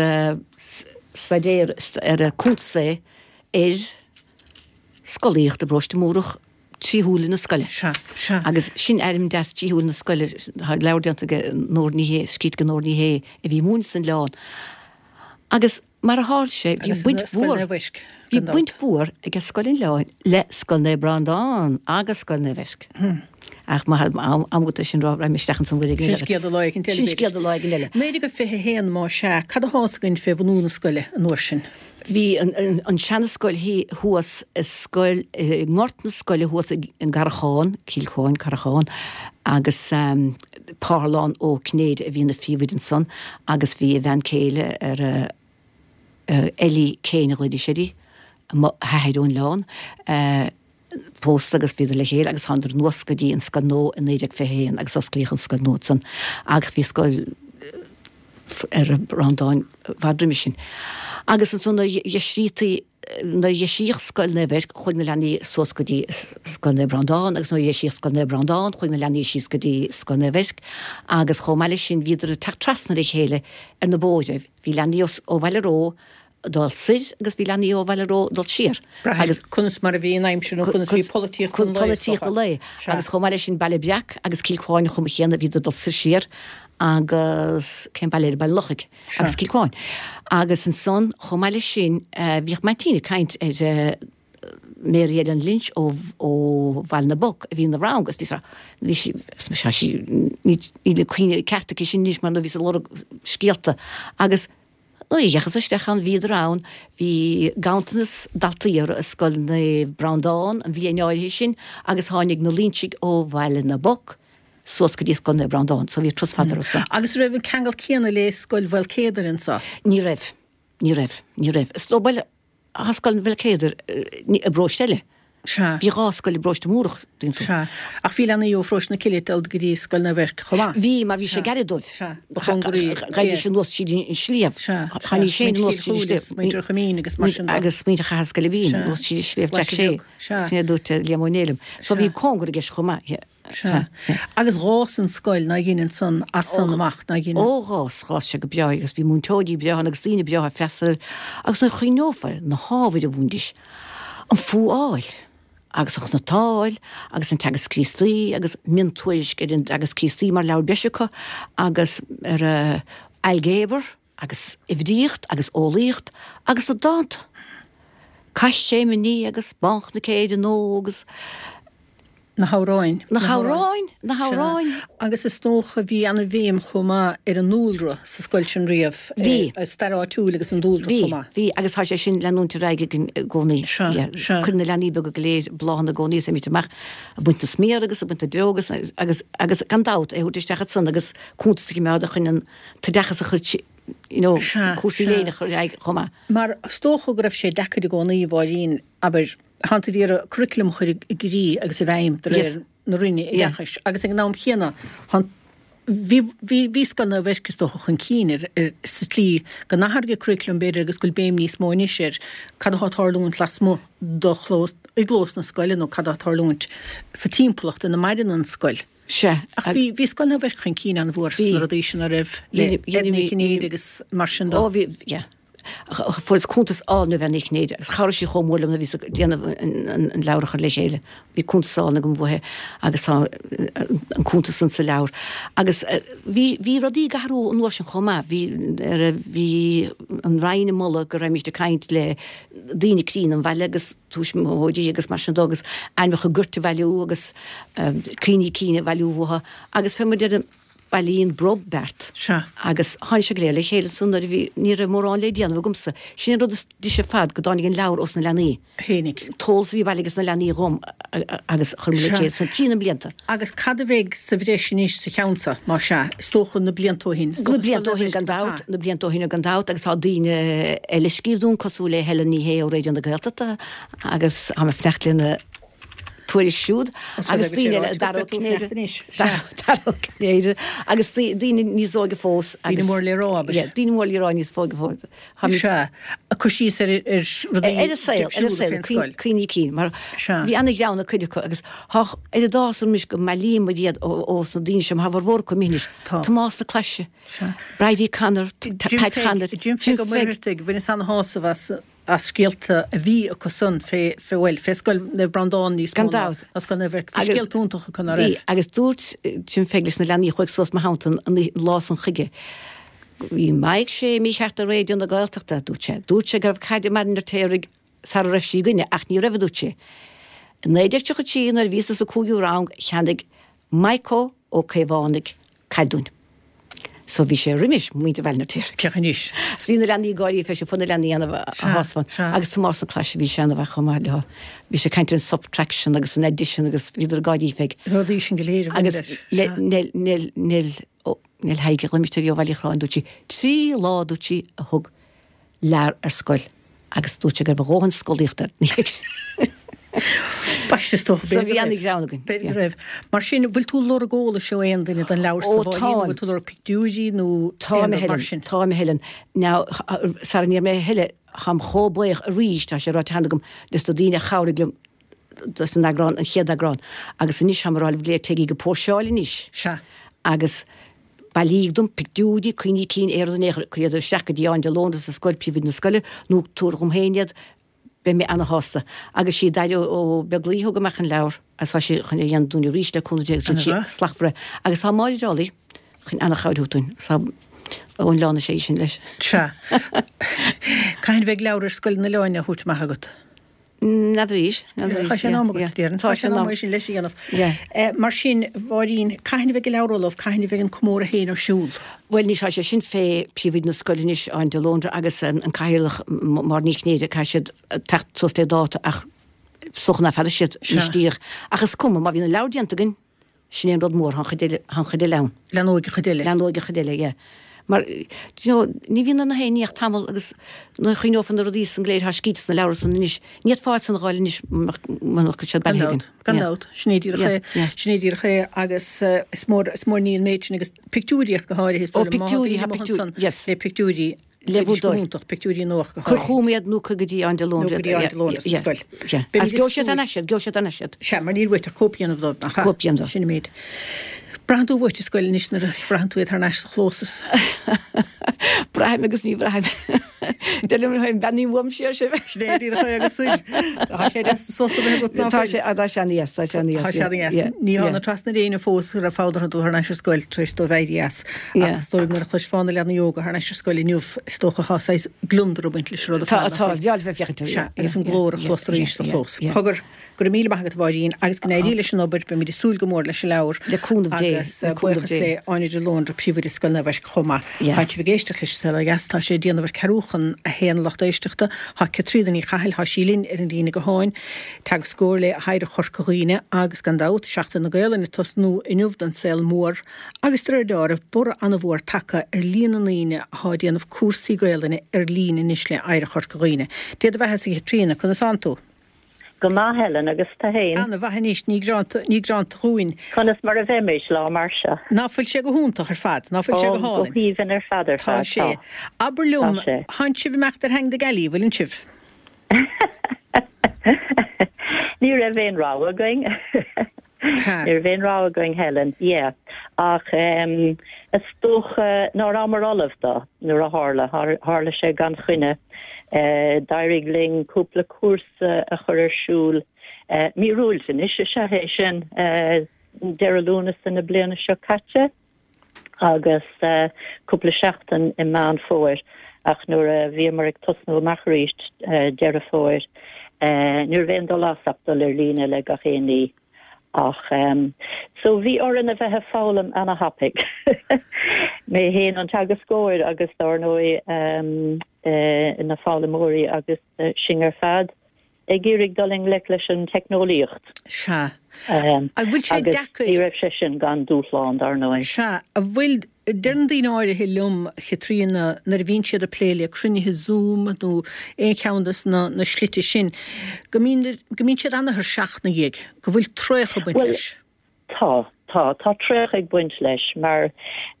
staidéar ar cuntas é ar scolaíocht i bParóiste Múrach trí shúile na scoile. Sea, sea. Agus sin ainm deas trí shúile na scoile, tá leabhar déanta ag Nóra Ní Shé, scríte ag Nóra Ní Shé a bhí ag múineadh san Oileán. Agus mar a tharla sé, bhí baint mhór, bhí baint mhór ag Scoil an Oileáin le Scoil Naomh Breandán agus Scoil Naomh Eirc. Ach má tá am agat é sin a rá, raghaidh mé isteach ansan uair éigin eile. Sin scéal do lá éigin eile, Sin scéal do lá éigin eile. 1921 más ea, cad atá fhios againn fé bhunú na scoile an uair sin? Bhí an seanascoil thuas i scoil, i ngort na scoile thuas i gCarrachán, Cill Chuáin, Carrachán, agus Parthalán Ó Cinnéide a bhí ina phríomhoide ansan agus bhí a bhean céile ar a, Ellie Kane a ghlaoidís uirthi, mo hathair ón Oileán, pósta agus bhíodar le chéile agus thánadar anuas go dtí an scoil nua i 1921 agus osclaíodh an scoil nua ansan agus bhí scoil ar Breandán i bhfad roimis sin. Agus ansan nuair a dheisítí nuair a dheisíodh Scoil Naomh Eirc chuaigh na leanaí suas go dtí Scoil Naomh Breandán agus nuair a dheisíodh Scoil Naomh Breandán chuaigh na leanaí síos go dtí Scoil Naomh Eirc agus chomh maith leis sin bhíodar ag teacht trasna ar a chéile ar na bóithre. Bhí leanaí ó Bhaile Ró ag dul soir agus bhí leanaí ó Bhaile Ró ag dul siar. Agus conas mar a bhí an aimsir nó conas bhí polaitíocht an lae. Polaitíocht an lae. Agus chomh maith leis sin Baile Breac agus Cill Chuáin an chuma chéanna bhíodar ag dul soir siar agus cén baile eile Baile Lochaigh agus Cill Chuáin. Agus ansan chomh maith leis sin bhíodh m'aintín ag caint ar Mary Ellen Lynch ó ó Bhaile na bPoc a bhí ina rang agus bhí sí bhí sí is sí níl cuimhne ceart aici sin anois mar nó bhí sí ag lorg scéalta agus Nuair a dheachthas isteach ann bhíodar ann, bhí ganntanas daltaí orthu i Scoil Naomh Breandán an bhliain áirithe sin agus tháinig na Loinsigh ó Bhaile na bPoc suas go dtí Scoil Naomh Breandán so bhí turas fada orthu san. Agus raibh an ceangal céanna le Scoil Mhaolcéadair anso? Ní raibh. Ní raibh. Ní raibh. Is dóigh, bhuel, Tá Scoil Mhaolcéadair i bparóiste eile. Sea. Bhí dhá scoil i bparóiste Múrach, tuigeann tú. Sea. Ach bhí leanaí ó pharóiste na Cille ag dul go dtí Scoil Naomh Eirc chomh maith. Bhí, mar bhí sé gairid dóibh. Sea. Ba chóngaraí. Ghaibh anuas tríd an sliabh. Sea. Tháinig sé anuas tríd an sliabh. Muintir Choimín agus mar sin de. Agus muintir Chathair Scoilbín anuas tríd an sliabh Jack Shea. Sea. Sin é a dúirt Liam Ó Néill liom. So bhí cóngar i gceist chomh maith. Sea. Agus dh'fhás an scoil nár dhein ansan as san amach, nár dhein? Ó dh'fhás, dh'fhás sé go breá agus bhí múinteoirí breátha ann agus daoine breátha ag freastal air agus nuair a chuimhneofá ar na hábhair a mhúintidís, an fuáil agus an chnutáil agus an Teagasc Críostaí agus miontuairisc ar an dTeagasc Críostaí mar leabhar breise acu agus ar ailgéabar agus uimhríocht agus eolaíocht agus na dánta. Caithréim agus Bánchnoic Éireann Óg agus. Na hamhráin. Na hamhráin, na hamhráin. Agus is dócha bhí ana-bhéim chomh maith ar an ndúlra sa scoil sin riamh. Bhí. Stair áitiúil agus an dúlra chomh maith. Bhí, bhí agus tá sé sin leanúint ar aghaidh againn i gcónaí. Sea, sea. Cuireann na leanaí beaga go léir bláthanna i gcónaí is imít amach ag baint na sméar agus ag baint na duilleog agus, agus, agus gan dabht é a thabhairt isteach ansan agus cuntas a choimeád a chun an t-oideachas a chur you know, cúrsaí léinn a chur ar aghaidh chomh maith. Mar is dócha go raibh sé deacair i gcónaí, a Mháirín, abair, Tánn tú ag iarraidh curriculum a chur i gcrích agus i bhfeidhm de réir na Roinne Oideachais agus ag an am chéanna tánn bhí bhí bhí Scoil Naomh Eirc is dócha chun cinn ar ar sa tslí go n-athraigh an curriculum b'fhéidir agus go bhfuil béim níos mó anois ar cad atá ag tarlúint lasmuigh do chlós i gclós na scoile nó cad atá ag tarlúint sa timpeallacht ina maireann an scoil. Sea. Ach bhí bhí Scoil Naomh Eirc chun cinn an-mhór sna rudaí sin a raibh le Edna Ní Chinnéide agus mar sin de. Ó bhí, yeah. Fuaireas cuntas álainn ó Bhean Uí Chinnéide agus chabhraigh sí chomh mór liom nuair a bhíos ag déanamh an leabhar a chur le chéile. Bhí cuntas álainn agam uaithi agus tá an cuntas san sa leabhar. Agus bhí, bhí rudaí ag athrú an uair sin chomh maith. Bhí, bhí an Roinn ag moladh go raghaimíst ag caint le daoine críonna an bhaile agus tuismitheoirí agus mar sin de agus ainmneacha goirt a bhailiú agus cuimhní cinn a bhailiú uathu agus fé mar deir bailíonn brobh beart. Sea. Agus tháinig sé go léir le chéile ansan nuair a bhí, ní raibh mórán le déanamh agamsa. Sin an rud is deise ar fad, go dtáinig an leabhar ós na leanaí. Tháinig. An t-eolas a bhí bailithe ages na leanaí dhom agus chuir mé le chéile san trí na blianta. Agus cad a bheidh sa bhreis anois sa cheann seo, más ea? Is dócha na blianta ó shin. Na blianta ó shin gan dabht, na blianta ó shin gan dabht agus tá daoine eile ag scríobh dúinn cosúil le Helen Ní Shé ó Raidió na Gaeltachta agus tá mé ag fanacht lena tuairisc siúd agus daoine eile, Dara Ó Cinnéide, Dara Ó Cinnéide agus daoine níos óige fós agus. Daoine mór le rá, abair. Yeah, daoine mór le rá níos óige fós. Sea, ag cur síos ar rudaí Ar an saol, ar an saol, cuimhní cinn, mar bhí ana-ghreann ag cuid acu agus tá oiread áthas orm anois go mbailíonn muid iad ó sna daoine seo, mar tá a bhformhór acu imithe anois. Tomás na Claise, Bridie Connor, Pat Connor, Jim Pheig Ó Muircheartaigh, bhaineas ana-shásamh as as scéalta a bhí acu san fé, fé, bhuel, fé Scoil Naomh Breandán níos mó Gan dabht. ná Scoil Naomh Eirc. Bhí scéalta iontacha acu, ná Bhí, raibh? agus dúirt Jim Pheig leis na leanaí a chuaigh suas mo theannta an lá san chuige, Bhí Maidhc Sé mícheart ar Raidió na Gaeltachta, dúirt sé. Dúirt sé go raibh caid i mBaile an Fheirtéaraigh sara raibh sí againne, ach ní raibh, a dúirt sé. I 1933, nuair a bhíosa sa cúigiú rang, cheannaigh Maidhc Ó Caomhánaigh caid dúinn. So bhí sé roimis muintir Bhaile an Fheirtéaraigh. Féach anois. So bhí na leanaí ag gáirí fé sin, fuair na leanaí ana-shásamh ann. Agus Tomás na Claise, bhí sé ana-mhaith chomh maith leo. Bhí sé ag caint ar an subtraction agus an addition agus bhíodar ag gáirí fé. Rudaí sin go léir a bhain leis. Agus Nell, Nell, Nell, Nell Thaidhg a ghlaoimis uirthi ó Bhaile Uí Chorráin, dúirt sí, 3 lá, dúirt sí, a thug Lar ar scoil agus dúirt sé go raibh a dhóthain scolaíochta air. B'aisteach is dócha. So bhí ana-ghreann againn. B'fhéidir go raibh. Mar sin, bhfuil tú ag lorg eolais ó aon duine don leabhar sa Mháirín, nó bhfuil tú ag lorg pictiúirí nó aon rud mar sin? Táim, a Helen. Now, sara ndéarfaidh mé a thuilleadh, táim chomh buíoch arís, tá sé ráite cheana agam, des na daoine a chabhraigh liom dos an eagrán, an chéad eagrán. Agus anois táim ag rá libh go léir, téigí go Póirseáil anois. Sea. Agus bailíg dom pictiúirí, cuimhní cinn, aon rud in aon chor, cuir iad isteach go dtí Áine de Lóndra sa scoil, príomhoide na scoile, nó tabhair dhom féin iad, beidh mé ana-shásta. Agus sí Daire Ó Beaglaoich a thug amach an leabhar agus tá sí chun é a dhéanamh dúinn arís le cúnamh Dé agus tá sí slachtmhar. Agus tá Máire Dálaigh chun ana-chabhair a thabhairt dúinn. Tá ón oileán is ea í sin leis. Sea. Cathain a bheidh leabhar ar Scoil an Oileáin á thabhairt amach agat? N'fheadar arís, n'fheadar arís. Tá sé in am agat, déarfainn. Tá sé in am é sin leis a dhéanamh. Mar sin, Mháirín, cathain a bheidh an leabhar ullamh, cathain a bheidh an comóradh féin ar siúl? Bhuel, anois tá sé sin fé phríomhoide na scoile anois, Áine de Lóndra, agus an cathaoirleach, Máire Ní Chinnéide, caithfidh siad teacht suas le dáta ach is dócha nach fada siad anois díreach. Ach is cuma, má bhíonn an leabhar déanta againn, Sin é an rud mór, tá an chuid eile, tá an chuid eile ann. Leathnóidh an chuid eile. Leathnóidh an chuid eile, yeah. Mar, do you know, ní bhíonn ar na haon ní ach tamall agus nuair a chuimhneofá na rudaí san go léir atá scríte sna leabhra san anois, ní fhéadfá iad san a dh'fháil anois mura mbeadh siad Gan bailithe dabht, againn. gan dabht. Sin é díreach é, sin é díreach é agus is mór, is mór ní an méid sin agus pictiúirí ach go háirithe is Ó, dóigh liom, má tá pictiúirí, daoine tá amuigh pictiúirí, ansan yes. le pictiúirí, Le bhur bheidís go dtoil. hiontach, pictiúirí nua ach go Cuir háirithe. chugam iad nó cuir go dtí Áine de Nó Lóndra go dtí Áine de Lóndra sa scoil. Yeah. Beimid Agus ag gheobhaidh siad súil. thar n-ais iad, gheobhaidh siad thar n-ais iad. Sea, mar níl uait ach cóip a dhéanamh dóibh, nach ea? Cóip a dhéanamh dóibh. Sin an méid. Braitheann tú uait an scoil anois nuair a bhraitheann tú iad thar n-ais sa chlós is. Braithim agus ní bhraithim. Deir liom féin, beannaím uaim siar sibh. Sin é díreach é agus soir. Tá sé deas sos a bheith agat ná Tá fuil? sé, tá sé ana-dheas, tá sé ana-dheas. Tá sé ana-dheas. Ní thána trasna ar éinne fós a raibh fonn orthu dul thar n-ais ar scoil tar éis dóibh éirí as. Ach is dóigh liom nuair a chloisfeá na leanaí óga thar n-ais ar scoil inniu, is dócha tá saghas gliondar ag baint leis an rud ar Tá, fad, nach tá, bhfuil? bheadh bheith féachaint air, Sea, agus an glór a chlos arís sa chlós. Cogar, go raibh míle maith agat a Mháirín, agus go n-éirí leis an obair, beimid ag súil go mór leis an leabhar. Le cúnamh Dé, Agus le cúnamh buíochas Dé. le Áine de Lóndra, Príomhoide Scoil Naomh Eirc chomh maith. Yeah. Tá sibh ag éisteacht leis an Saol Ó Dheas, tá sé ag déanamh ar ceathrú chun a haon a lucht éisteachta. Tá Caitríona Ní Chathail, tá sí linn ar an líne gutháin. Teagascóir le hOidhreacht Chorca Dhuibhne agus, gan dabht, Seachtain na Gaelainne ag tosnú inniu don saol mór. Agus de réir deáraimh, borradh an-mhór tagtha ar líon na ndaoine athá ag déanamh cúrsaí Gaelainne ar líne anois le Oidhreacht Chorca Dhuibhne. Dé do bheathasa a Chaitríona, conas thánn tú? Go maith, Helen, agus tú fhéin? Ana mhaith anois, ní greanta, ní greanta dhúinn. Conas mar a bheimis, lá mar seo? Ná fuil sé go hiontach ar fad, ná fuil sé Ó, go go hálainn? haoibhinn ar fad ar Tá fad, sé. tá. Abair liom, Tá sé. thánn sibh ag imeacht ar theanga na gealaí, bhfuileann sibh? Ní raibh aon rogha againn. Ní raibh aon rogha againn, Helen. Yeah. Ach is dócha ná rabhamar ullamh dó nuair a tharla. Tharla sé gan choinne. D'éirigh linn cúpla cúrsa a chur ar siúl, míorúilt anois is ea é sin, deireadh Lúnasa na bliana seo caite agus cúpla seachtain i Meán Fómhair ach nuair a bhíomar ag tosnú amach arís Deireadh Fómhair ní raibh aon dul as ach dul ar líne le gach aon ní. Ach so bhí orainn a bheith ag foghlaim ana-thapaidh. Mé féin an teagascóir agus dár ndóigh na foghlaimeoirí agus sinn ar fad ag iarraidh dul i ngleic leis an teicneolaíocht. Sea. An bhfuil sé deacair. Agus ní raibh sé sin gan dúshlán, dar ndóigh. Sea. An bhfuil, deireann daoine áirithe liom, a Chaitríona, nuair a bhíonn siad ag plé le cruinnithe Zoom nó aon cheann de na slite sin, go mbíonn, go mbíonn siad ana-thuirseach ina dhiaidh, go bhfuil traochadh ag baint Bhuel, leis. tá, tá, tá traochadh ag baint leis mar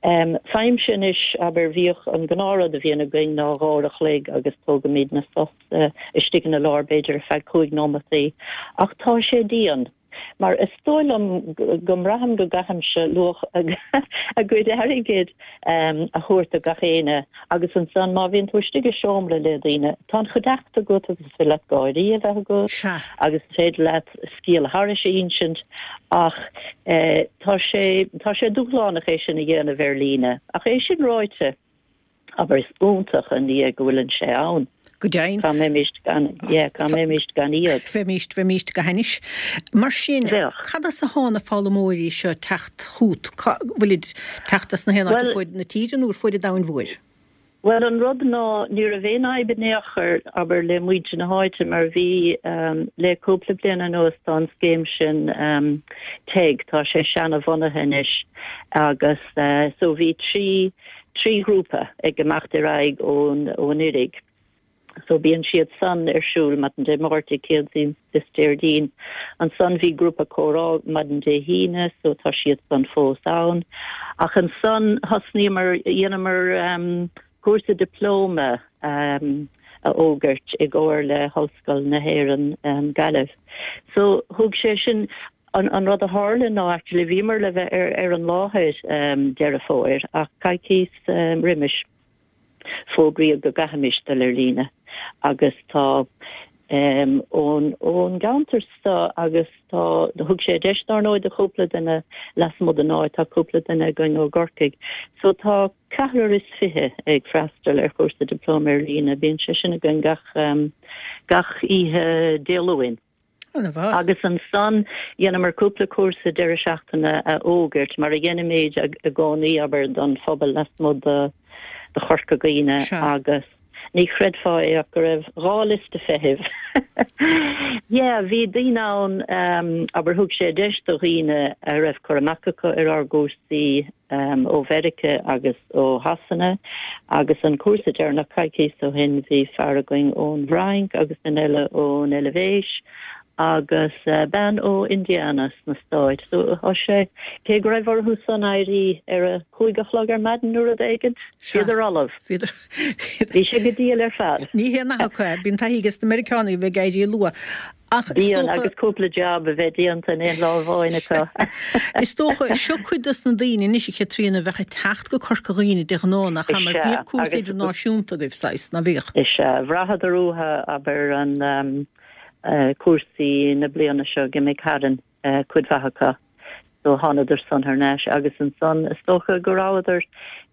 em faighimse anois, abair, bhíodh an gnáthrud a bhíonn againn ná dhá uair a chloig agus tógaimidne sos istigh ina lár b'fhéidir ar feadh cúig nóimeataí ach tá sé dian. Mar is dóigh liom go mbraithim go gcaithimse luach a gcuid airgid a thabhairt do gach éinne agus ansan má bhíonn tú istigh i seomra le daoine, tá an chuideachta agat agus is féidir leat gáirí a bheith agat agus is féidir leat scéal thairis a insint ach tá sé, tá sé dúshlánach é sin a dhéanamh ar líne. Ach é sin ráite, Abair, is iontach an ní é go bhfuileann sé ann. Go deimhin. Cá mbeimis gan, yeah, cá mbeimis gan iad? Bheimis, bheimis go hainnis. Mar sin, Bheadh. cad as atá na foghlaimeoirí seo ag teacht chugat? Cá bhfuilid ag teacht as na haon áit ar Bhuel, fuaid na tíre nó ar fuaid an domhain mhóir? Bhuel, an rud ná, ní raibh aon fhadhb in aon chor, abair, le muintir na háite mar bhí, le cúpla bliain anuas tá an scéim sin, TEG, tá sé seana-bhunaithe anois agus so bhí 3, 3 ghrúpa ag imeacht ar aghaidh ón Oirg. So bíonn siad san ar siúl maidin Dé Máirt, Céadaoin is Déardaoin. Ansan bhí grúpa comhrá maidin Dé hAoine so tá siad san fós ann. Ach ansan thosnaíomar, dhéanamar cúrsa dioplóma a fhógairt i gcomhar le hOllscoil na hÉireann, Gaillimh. So thug sé sin, An rud a tharla ná actually bhíomar le bheith ar an láthair Deireadh Fómhair ach coicíos roimis fógraíodh go gcaithfimis dul ar líne agus tá ón ón gceantar so agus tá thug sé deis dár ndóigh do chúpla duine lasmuigh den áit, tá cúpla duine againn ó gCorcaigh so tá 24 ag freastal ar chúrsa dioplóma ar líne, bíonn sé sin againn gach gach oíche Dé Luain. An-mhaith. Agus ansan dheineamar cúpla cúrsa deireadh seachtaine a fhógairt, mar a dheinimid i gcónaí, abair, don phobal lasmuigh de Chorca Dhuibhne agus ní chreidfeá é ach go raibh 2 liosta feithimh. Yeah, bhí daoine ann, abair, thug sé deis do dhaoine a raibh cur amach acu ar ár gcúrsaí, ó Mheirice agus ó Shasana agus an cúrsa deireanach coicíos ó shin bhí fear againn ón bhFrainc agus duine eile ón Eilvéis agus bean ó Indiana sna Stáit. So tá sé, cé go raibh orthu san éirí ar a cúig a chlog ar maidin nó rud éigint, bhíodar ullamh. Bhí sé go diail ar fad. Ní haon nath acu é. Bíonn taithí ages na Meiriceánaigh a bheith ag éirí luath. Ach is Bíonn, dócha. agus cúpla jab a bheith déanta in aon lá amháin acu. Is dócha, seo cuid dos na daoine anois, a Chaitríona, a bheadh ag teacht go Corca Dhuibhne de ghnáth, nach ea? Mar Is ea, bhíodh cúrsa agus. idirnáisiúnta agaibh, saghas, ná bhíodh? Is ea, bhraitheadar uathu, abair, an cúrsaí na bliana seo a d'imigh tharainn, cuid mhaith acu. So thánadar san thar n-ais agus ansan is dócha go rabhadar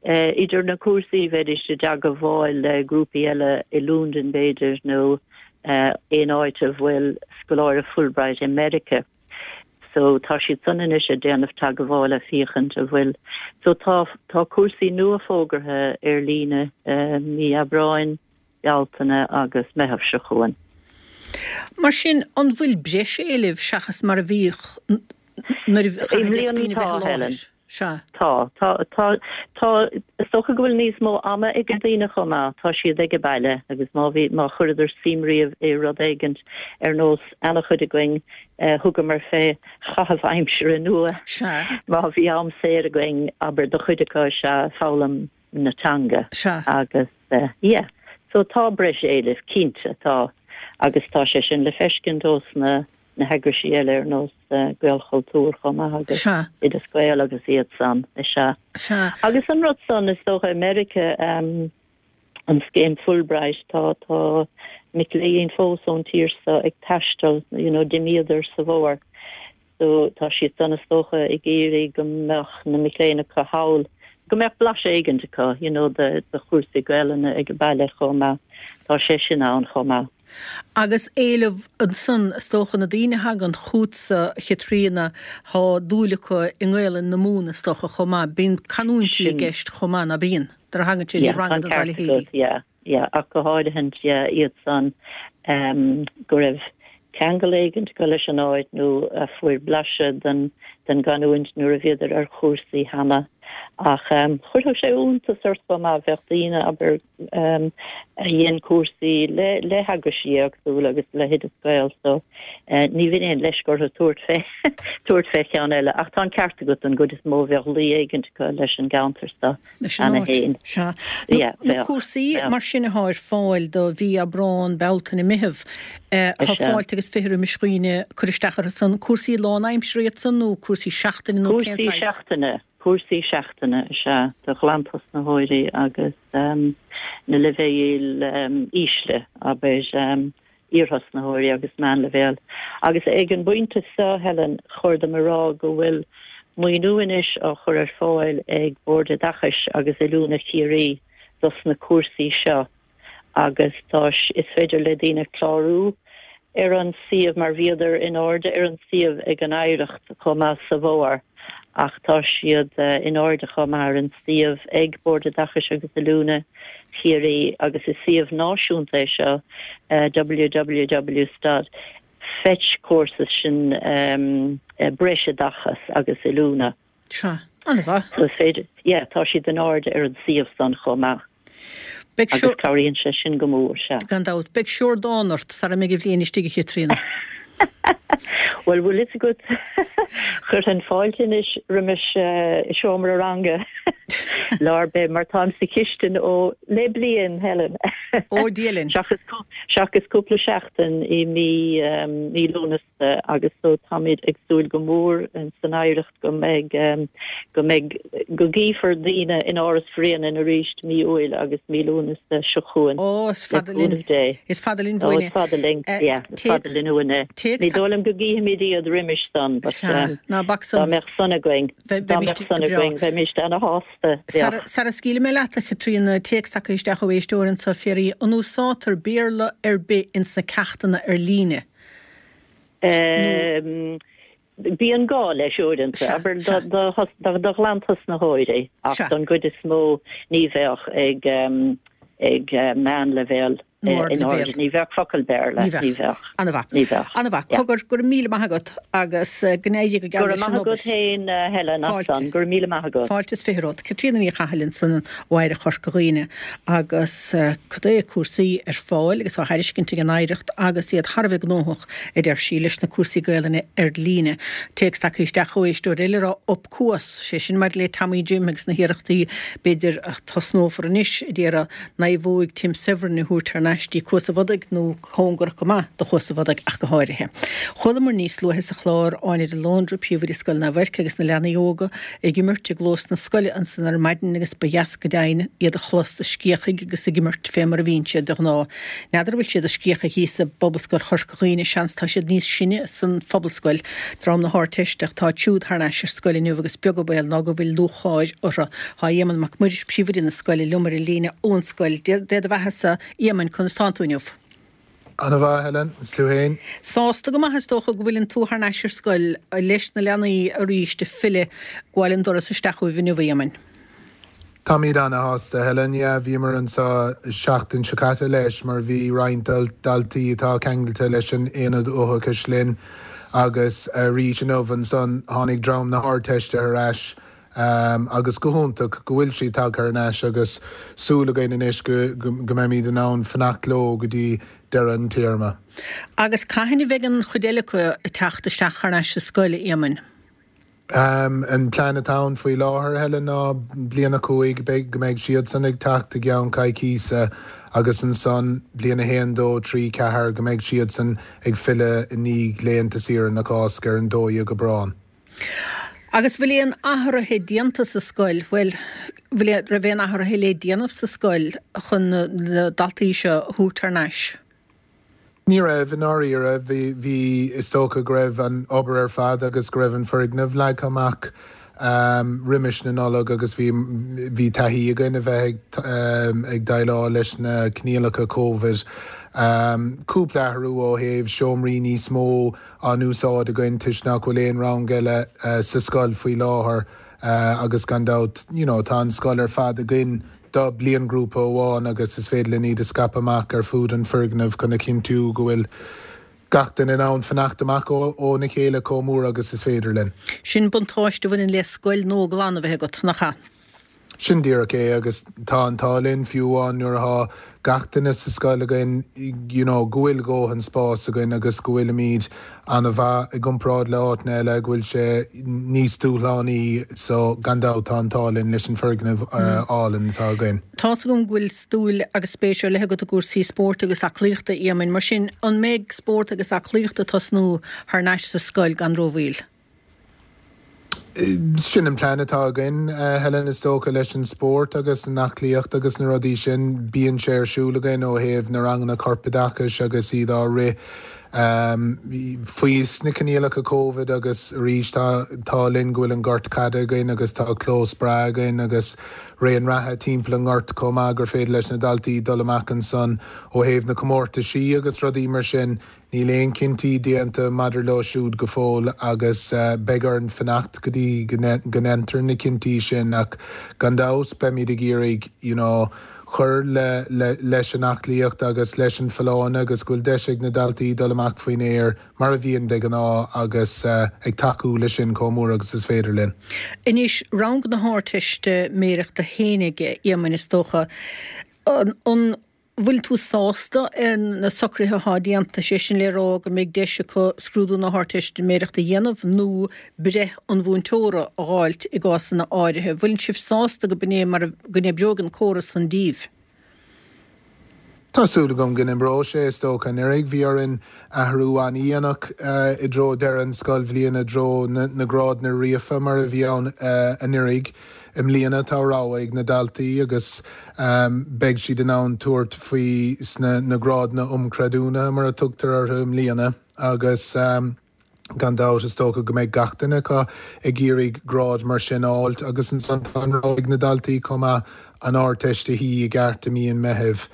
idir na cúrsaí, bheidís i dteagmháil le grúpaí eile i Lúndain b'fhéidir nó aon áit a bhfuil scoláire Fulbright i Meirice. So tá siad san anois ag déanamh teagmhála féachaint a bhfuil. So tá tá cúrsaí nua fógartha ar líne mí Aibreáin, Bealtaine agus Meitheamh seo chugainn. Mar sin, an bhfuil breis éilimh seachas mar a bhíodh nuair a I chaithfidh mbliana daoine tá, bheith i Helen. láthair? Sea. Tá. Tá, tá, tá, is dócha go bhfuil níos mó ama ag na daoine chomh maith. Tá siad ag baile agus má bhí, má chuireadar suim riamh i rud éigint ar nós ana-chuid againn, thugamar fé chaitheamh aimsire nua. Sea. Má bhí am saor againn, abair, do chuid acu is ea foghlaim na teanga. Sea. Agus yeah. So tá breis éilimh, cinnte, tá. Agus tá sé sin le feiscint ós na. na heagraisí eile ar nós Gaelchultúr chomh maith agus Oideas Gael agus iad san, is ea. Agus an rud san, is dócha, i Meiriceá, an scéim Fulbright, tá, tá mic léinn fós ón tír so ag taisteal, you know, d'imíodar sa bhfómhar. So tá siad san is dócha ag iarraidh go mbeadh na mic léinn acu thall, go mbeadh blaiseadh éigint acu, you know, de, de chúrsaí Gaelainne ag an baile chomh maith. Tá sé sin ann chomh maith. Agus éileamh ansan, is dócha, na daoine a thagann chútsa, a Chaitríona, tá dúil acu i nGaelainn na Mumhan, is dócha, chomh maith. Bíonn canúintí i gceist chomh maith, ná bíonn? Nuair a thagann siad i ranganna dá leithéidí. Yeah, yeah, ach go háirithint, yeah, iad san go raibh ceangal éigint acu leis an áit nó a fuair blaiseadh den den gcanúint nuair a bhíodar ar chúrsaí cheana. Ach chuirfeadh sé iontas ort chomh maith, bheadh daoine, abair, a dhein cúrsaí le le heagraisí éagsúla agus le hOideas Gael so ní bheinn aon leisce orthu tabhairt fé tabhairt fé cheann eile ach tá an ceart agat don gcuid is mó bheadh luí éigint acu leis an gceantar so Leis an cheana áit. féin. Sea. Yeah, Na bheadh, cúrsaí bheadh. mar sin athá ar fáil do mhí Aibreán, Bealtaine, Meitheamh, tá Is ea. fáilte agus 20 roimis dhaoine cur isteach orthu san. Cúrsaí lán-aimsire iad san nó cúrsaí seachtaine nó cén Cúrsaí saghas? seachtaine. Cúrsaí seachtaine is ea do ghlantosnaitheoirí agus na leibhéil ísle, abair, iarthosnaitheoirí agus meánleibhéal. Agus ag an bpointe seo, Helen, chóir dom a rá go bhfuil maoiniú anois á chur ar fáil ag Bord Oideachais agus Oiliúna Chiarraí dos na cúrsaí seo. agus tá is féidir le daoine clárú ar an suíomh mar bhíodar in airde ar an suíomh ag an Oidhreacht chomh maith sa bhfómhar ach tá siad in airde chomh maith ar an suíomh ag Bord Oideachais agus Oiliúna Chiarraí agus is suíomh náisiúnta é seo www dot fetcourses sin breisoideachas agus oiliúna. Sea. An-mhaith. So is féidir, yeah, tá siad in airde ar an suíomh san chomh maith. Beidh Agus cabhraíonn sé sin go mór, sea. Gan dabht. Beidh siordán ort sara mbeidh an bhliain istigh, a Chaitríona. Bhuel, bhfuil fhios agat, chuirfinn fáilte anois roimis i seomra ranga lá ar bith mar táim sa chistin ó le bliain, Helen. Ó, Dia linn. Seachas, seachas cúpla seachtain i mí, mí Lúnasa. agus so táimid ag súil go mór san Oidhreacht go mbeidh, go mbeidh, go gcífear daoine in Áras Bhréanainn arís mí Iúil agus mí Lúnasa seo chugainn, Ó, is le fada linn, cúnamh Dé. is fada linn Ó, uainn é. is fada linn, yeah, is fada linn uainn é. Ní dóigh liom go gcífimid iad roimis san, but Sea, ná bac dá san. mbeadh san againn, Bhe, dá bheimis mbeadh san go breá. againn, bheimis ana-shásta, Sara, bheadh. sara scaoilfidh mé leat, a Chaitríona, téacs tagtha isteach ó éisteoir anso, ag fiafraí, an úsáidtear Béarla ar bith ins na ceachtanna ar líne? Nó. Bíonn gá leis uaireanta, abair do ghlantosnaitheoirí, ach don gcuid is mó ní bheadh ag ag meánleibhéal in airde, ní bheadh focal Béarla, ní bheadh. An-mhaith. Ní bheadh. An-mhaith. Cogar, go raibh míle maith agat agus go n-éirí go Go geal raibh leis an maith obair. agat féin, Helen, as Fáilte. san. Go raibh míle maith agat. Fáilte is 20 romhat. Caitríona Ní Chathail ansan ó Oidhreacht Chorca Dhuibhne agus cad é cúrsaí ar fáil agus á thairiscint ag an Oidhreacht agus iad thar a bheith gnóthach, a deir sí, leis na cúrsaí Gaelainne ar líne. Téacs tagtha isteach ó éisteoir eile ag rá up Cuas, sé sin maidir le Tommy Jim agus na hiarrachtaí b'fhéidir a tosnófar anois a d'iarraidh naomhóig Tim Severin a thabhairt thar n-ais dtí Cuas a' Bhodaigh nó cóngarach go maith do Chuas a' Bhodaigh ach go háirithe. Chualamar níos luaithe sa chlár Áine de Lóndra, príomhoide Scoil Naomh Eirce agus na leanaí óga ag imirt i gclós na scoile ansan ar maidin agus ba dheas go deimhin iad a chlos ag scréachaigh agus ag imirt fé mar a bhíonn siad de ghnáth. N'fheadar an bhfuil siad ag scréachaigh thíos i bPobalscoil Chorca Dhuibhne, seans tá siad níos sine san Phobalscoil, dream na hArdteiste ach táid siúd thar n-ais ar scoil inniu agus beag an baol ná go bhfuil lúcháir orthu. Tá Éamonn Mac Muiris, príomhoide na scoile, liom ar an líne ón scoil. Dé do bheatha-sa, Éamoinn, conas tánn tú inniu? Ana mhaith, Helen, is tú fhéin? Sásta go maith is dócha go bhfuileann tú thar n-ais ar scoil leis na leanaí arís ag filleadh, gabháil an doras isteach chugaibh inniu, a Éamoinn. Táimid ana-shásta, Helen. Yeah, bhíomar anseo seachtain seo caite leis mar bhí roinnt daltaí atá ceangailte leis an Aonad Uathachais linn agus arís inniu ansan tháinig dream na hArdteiste ar ais agus go hiontach go bhfuil siad tagtha thar n-ais agus súil againn anois go go mbeimid in ann fanacht leo go dtí deireadh an téarma. Agus cathain a bheidh an chuid eile acu ag teacht isteach thar n-ais sa scoil, a Éamoinn? An plean atá ann faoi láthair, Helen, ná bliain 5, beidh, go mbeidh siadsan ag teacht i gceann coicíse. Agus ansan, bliain 1, 2, 3, 4, go mbeidh siadsan ag filleadh i ndiaidh laethanta saoire na Cásca ar an 12 Aibreán. Agus bhfuil aon athruithe déanta sa scoil, bhuel, bhfuil, raibh aon athruithe le déanamh sa scoil chun na daltaí seo a thabhairt thar n-ais? Ní raibh, i ndáiríre. Bhí, bhí, is dócha go raibh an obair ar fad agus go raibh an foirgneamh leagtha amach roimis na Nollag agus bhí, bhí taithí againn a bheith ag, ag déileáil leis na coinníollacha Covid. Cúpla athrú ó thaobh seomraí níos mó á n-úsáid againn toisc nach bhfuil aon rang eile sa scoil faoi láthair agus gan dabht you know tá an scoil ar fad againn do bliainghrúpa amháin agus is féidir linn iad a scaipeadh amach ar fud an foirgnimh chun a chinntiú go bhfuil gach duine in ann fanacht amach óna chéile chomh mór agus is féidir linn. Sin buntáiste a bhaineann le scoil nua glan a bheith agat, nach ea? Sin díreach é agus tá an t-ádh linn fiú amháin nuair atá gach duine sa scoil againn you know go bhfuil dhóthain spáis againn agus go bhfuilimid ana-mhaith i gcomparáid le áiteanna eile go bhfuil sé níos dúshlánaí so gan dabht tá an t-ádh linn leis an foirgneamh álainn atá againn. Tá's agam go bhfuil dúil agus spéis ar leith agat i gcúrsaí spóirt agus aclaíochta, a Éamoinn, mar sin an mbeidh spórt agus aclaíocht ag tosnú thar n-ais sa scoil gan rómhoill? Sin an plean atá againn, Helen, is dócha, leis an spórt agus an aclaíocht agus na rudaí sin. Bíonn sé ar siúl againn ó thaobh na ranganna corpoideachais agus iad á rith faoi sna coinníollacha Covid agus arís tá an t-ádh linn go bhfuil an gort caide againn agus tá clós breá againn agus raon reatha timpeall an ghoirt chomh maith gur féidir leis na daltaí dul amach ansan ó thaobh na comórtaisí agus rudaí mar sin. Níl aon chinntí déanta maidir leo siúd go fóill agus beidh orainn fanacht go dtí go ndéantar na cinntí sin ach gan dabht beimid ag iarraidh you know cur le leis an aclaíocht agus leis an folláine agus go bhfuil deis ag na daltaí dul amach faoin aer mar a bhíonn de ghnáth agus ag tacú leis sin chomh mór agus is féidir linn. Anois, rang na hArdteistiméireachta fhéinig, a Éamoinn, is dócha, an. bhfuil tú sásta ar na socruithe atá déanta, sé sin le rá go mbeidh deis acu scrúdú na hArdteistiméireachta a dhéanamh nó breith an mhúinteora a dh'fháilt i gcásanna áirithe. Bhfuil sibh sásta go b'in é mar go n-oibreoidh an córas san díbh? Tá súil agam go n-oibreoidh sé, is dócha. Anuraidh bhí orainn athrú an-dhéanach i dtreo deireadh an scoilbhliana, i dtreo na grádanna ríofa mar a bhí ann anuraidh. I mbliana tá rogha ag na daltaí agus beidh siad in ann tabhairt faoi sna na grádanna um chreidiúnaithe mar a tugtar orthu i mbliana agus gan dabht is dócha go mbeidh gach duine acu ag iarraidh grád mar sin a fháilt agus ansan tá an rogha ag na daltaí chomh maith an Ardteist a shuí i gceart i mí an Mheithimh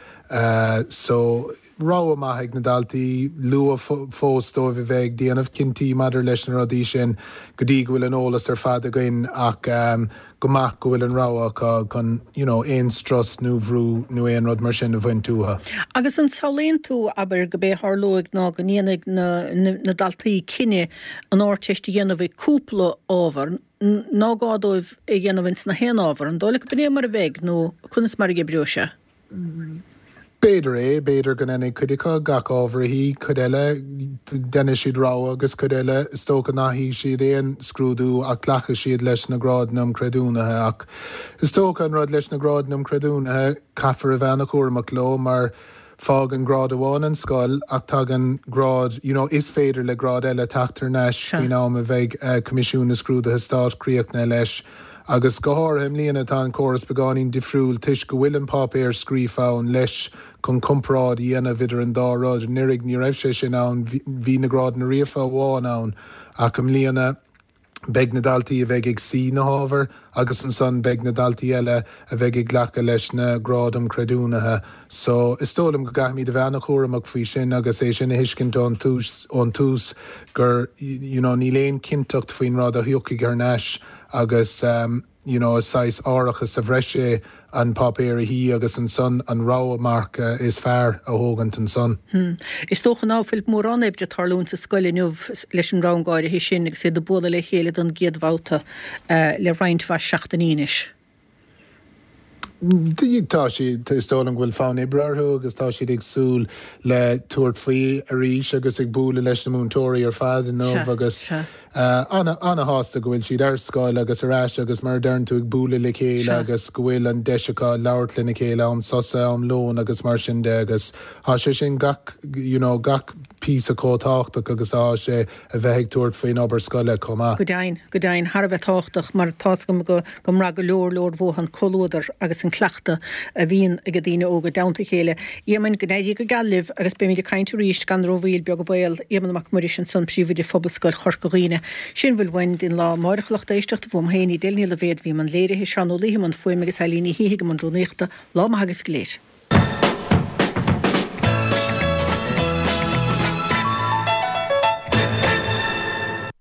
so rogha maith ag na daltaí, luath fós dóibh a bheith ag déanamh cinntí maidir leis na rudaí sin go dtí go bhfuil an eolas ar fad againn ach go maith go bhfuil an rogha acu chun you know aon strus nó bhrú nó aon rud mar sin a bhaint uathu. Agus an samhlaíonn tú, abair, go b'é a tharlóidh ná go ndéanfaidh na na daltaí cinneadh an Ardteist a dhéanamh i cúpla ábhar, ná gá dóibh é a dhéanamh ins na haon ábhar, an dóigh leat go b'in é mar a bheidh nó conas mar a oibreoidh sé? B'fhéidir é, b'fhéidir go ndéanfaidh cuid acu gach ábhar a shuí, cuid eile, déanfaidh siad rogha agus cuid eile, is dócha nach shuífidh siad aon scrúdú ach glacfaidh siad leis na grádanna um chreidiúnaithe. Ach is dócha an rud leis na grádanna um chreidiúnaithe, caithfear a bheith ana-chúramach leo mar fágann grád amháin an scoil ach tagann grád, you know, is féidir le grád eile teacht thar n-ais faoin am a bheidh Coimisiún na Scrúduithe Stáit críochnaithe leis. Agus go háirithe i mbliana tá an córas beagáinín difriúil toisc go bhfuil an páipéar scríofa ann leis chun comparáid a dhéanamh idir an dá rud. Anuraidh ní raibh sé sin ann, bhí na grádanna ríofa amháin ann ach i mbliana beidh na daltaí a bheidh ag suí na hábhair agus ansan beidh na daltaí eile a bheidh ag glacadh leis na gráid um chreidiúnaithe. So, is dóigh liom go gcaithfimid a bheith an-chúramach faoi sin agus é sin a thuiscint ón tús, ón tús gur you know níl aon chinnteacht faoin rud a thiocfaidh thar n-ais agus you know is saghas árachas sa bhreis é an páipéar a shuí agus ansan an rogha marc is fearr a thógaint ansan. Is dócha ná fuil mórán oibre ag tarlúint sa scoil inniu leis an rang áirithe sin agus iad ag bualadh le chéile don gcéad bhabhta le roinnt mhaith seachtainí anois. Tá siad, is dóigh liom go bhfuil fonn oibre orthu agus tá siad ag súil le tabhairt faoi arís agus ag bualadh leis na múinteoirí ar fad inniu agus. Ana, ana-shásta go bhfuil siad ar scoil agus ar ais agus mar a deireann tú ag bualadh le chéile agus go bhfuil an deis acu labhairt lena chéile am sosa, am lóin agus mar sin de agus tá sé sin gach, you know, gach píosa chomh tábhachtach agus atá sé a bheith ag tabhairt faoin obair scoile chomh maith. Go deimhin, go deimhin, thar a bheith tábhachtach mar tá's agam go go mbraith go leor leor uathu an comhluadar agus an cleachtadh a bhíonn ag daoine óga i dteannta a chéile. Éamonn, go n-éirí go geal libh agus beimid ag caint arís gan rómhoill, beag an baol. Éamonn Mac Muiris ansan, Príomhoide Phobalscoil Chorca Dhuibhne. Sin a bhfuil uainn don lá amáireach a lucht éisteachta, uaim féin, Edel Ní Loibhéad a bhí i mbun léirithe, Seán Ó Laoithe i mbun fuaime agus Eilín Ní Shíthigh i mbun rúnaíochta. Lá maith agaibh go léir.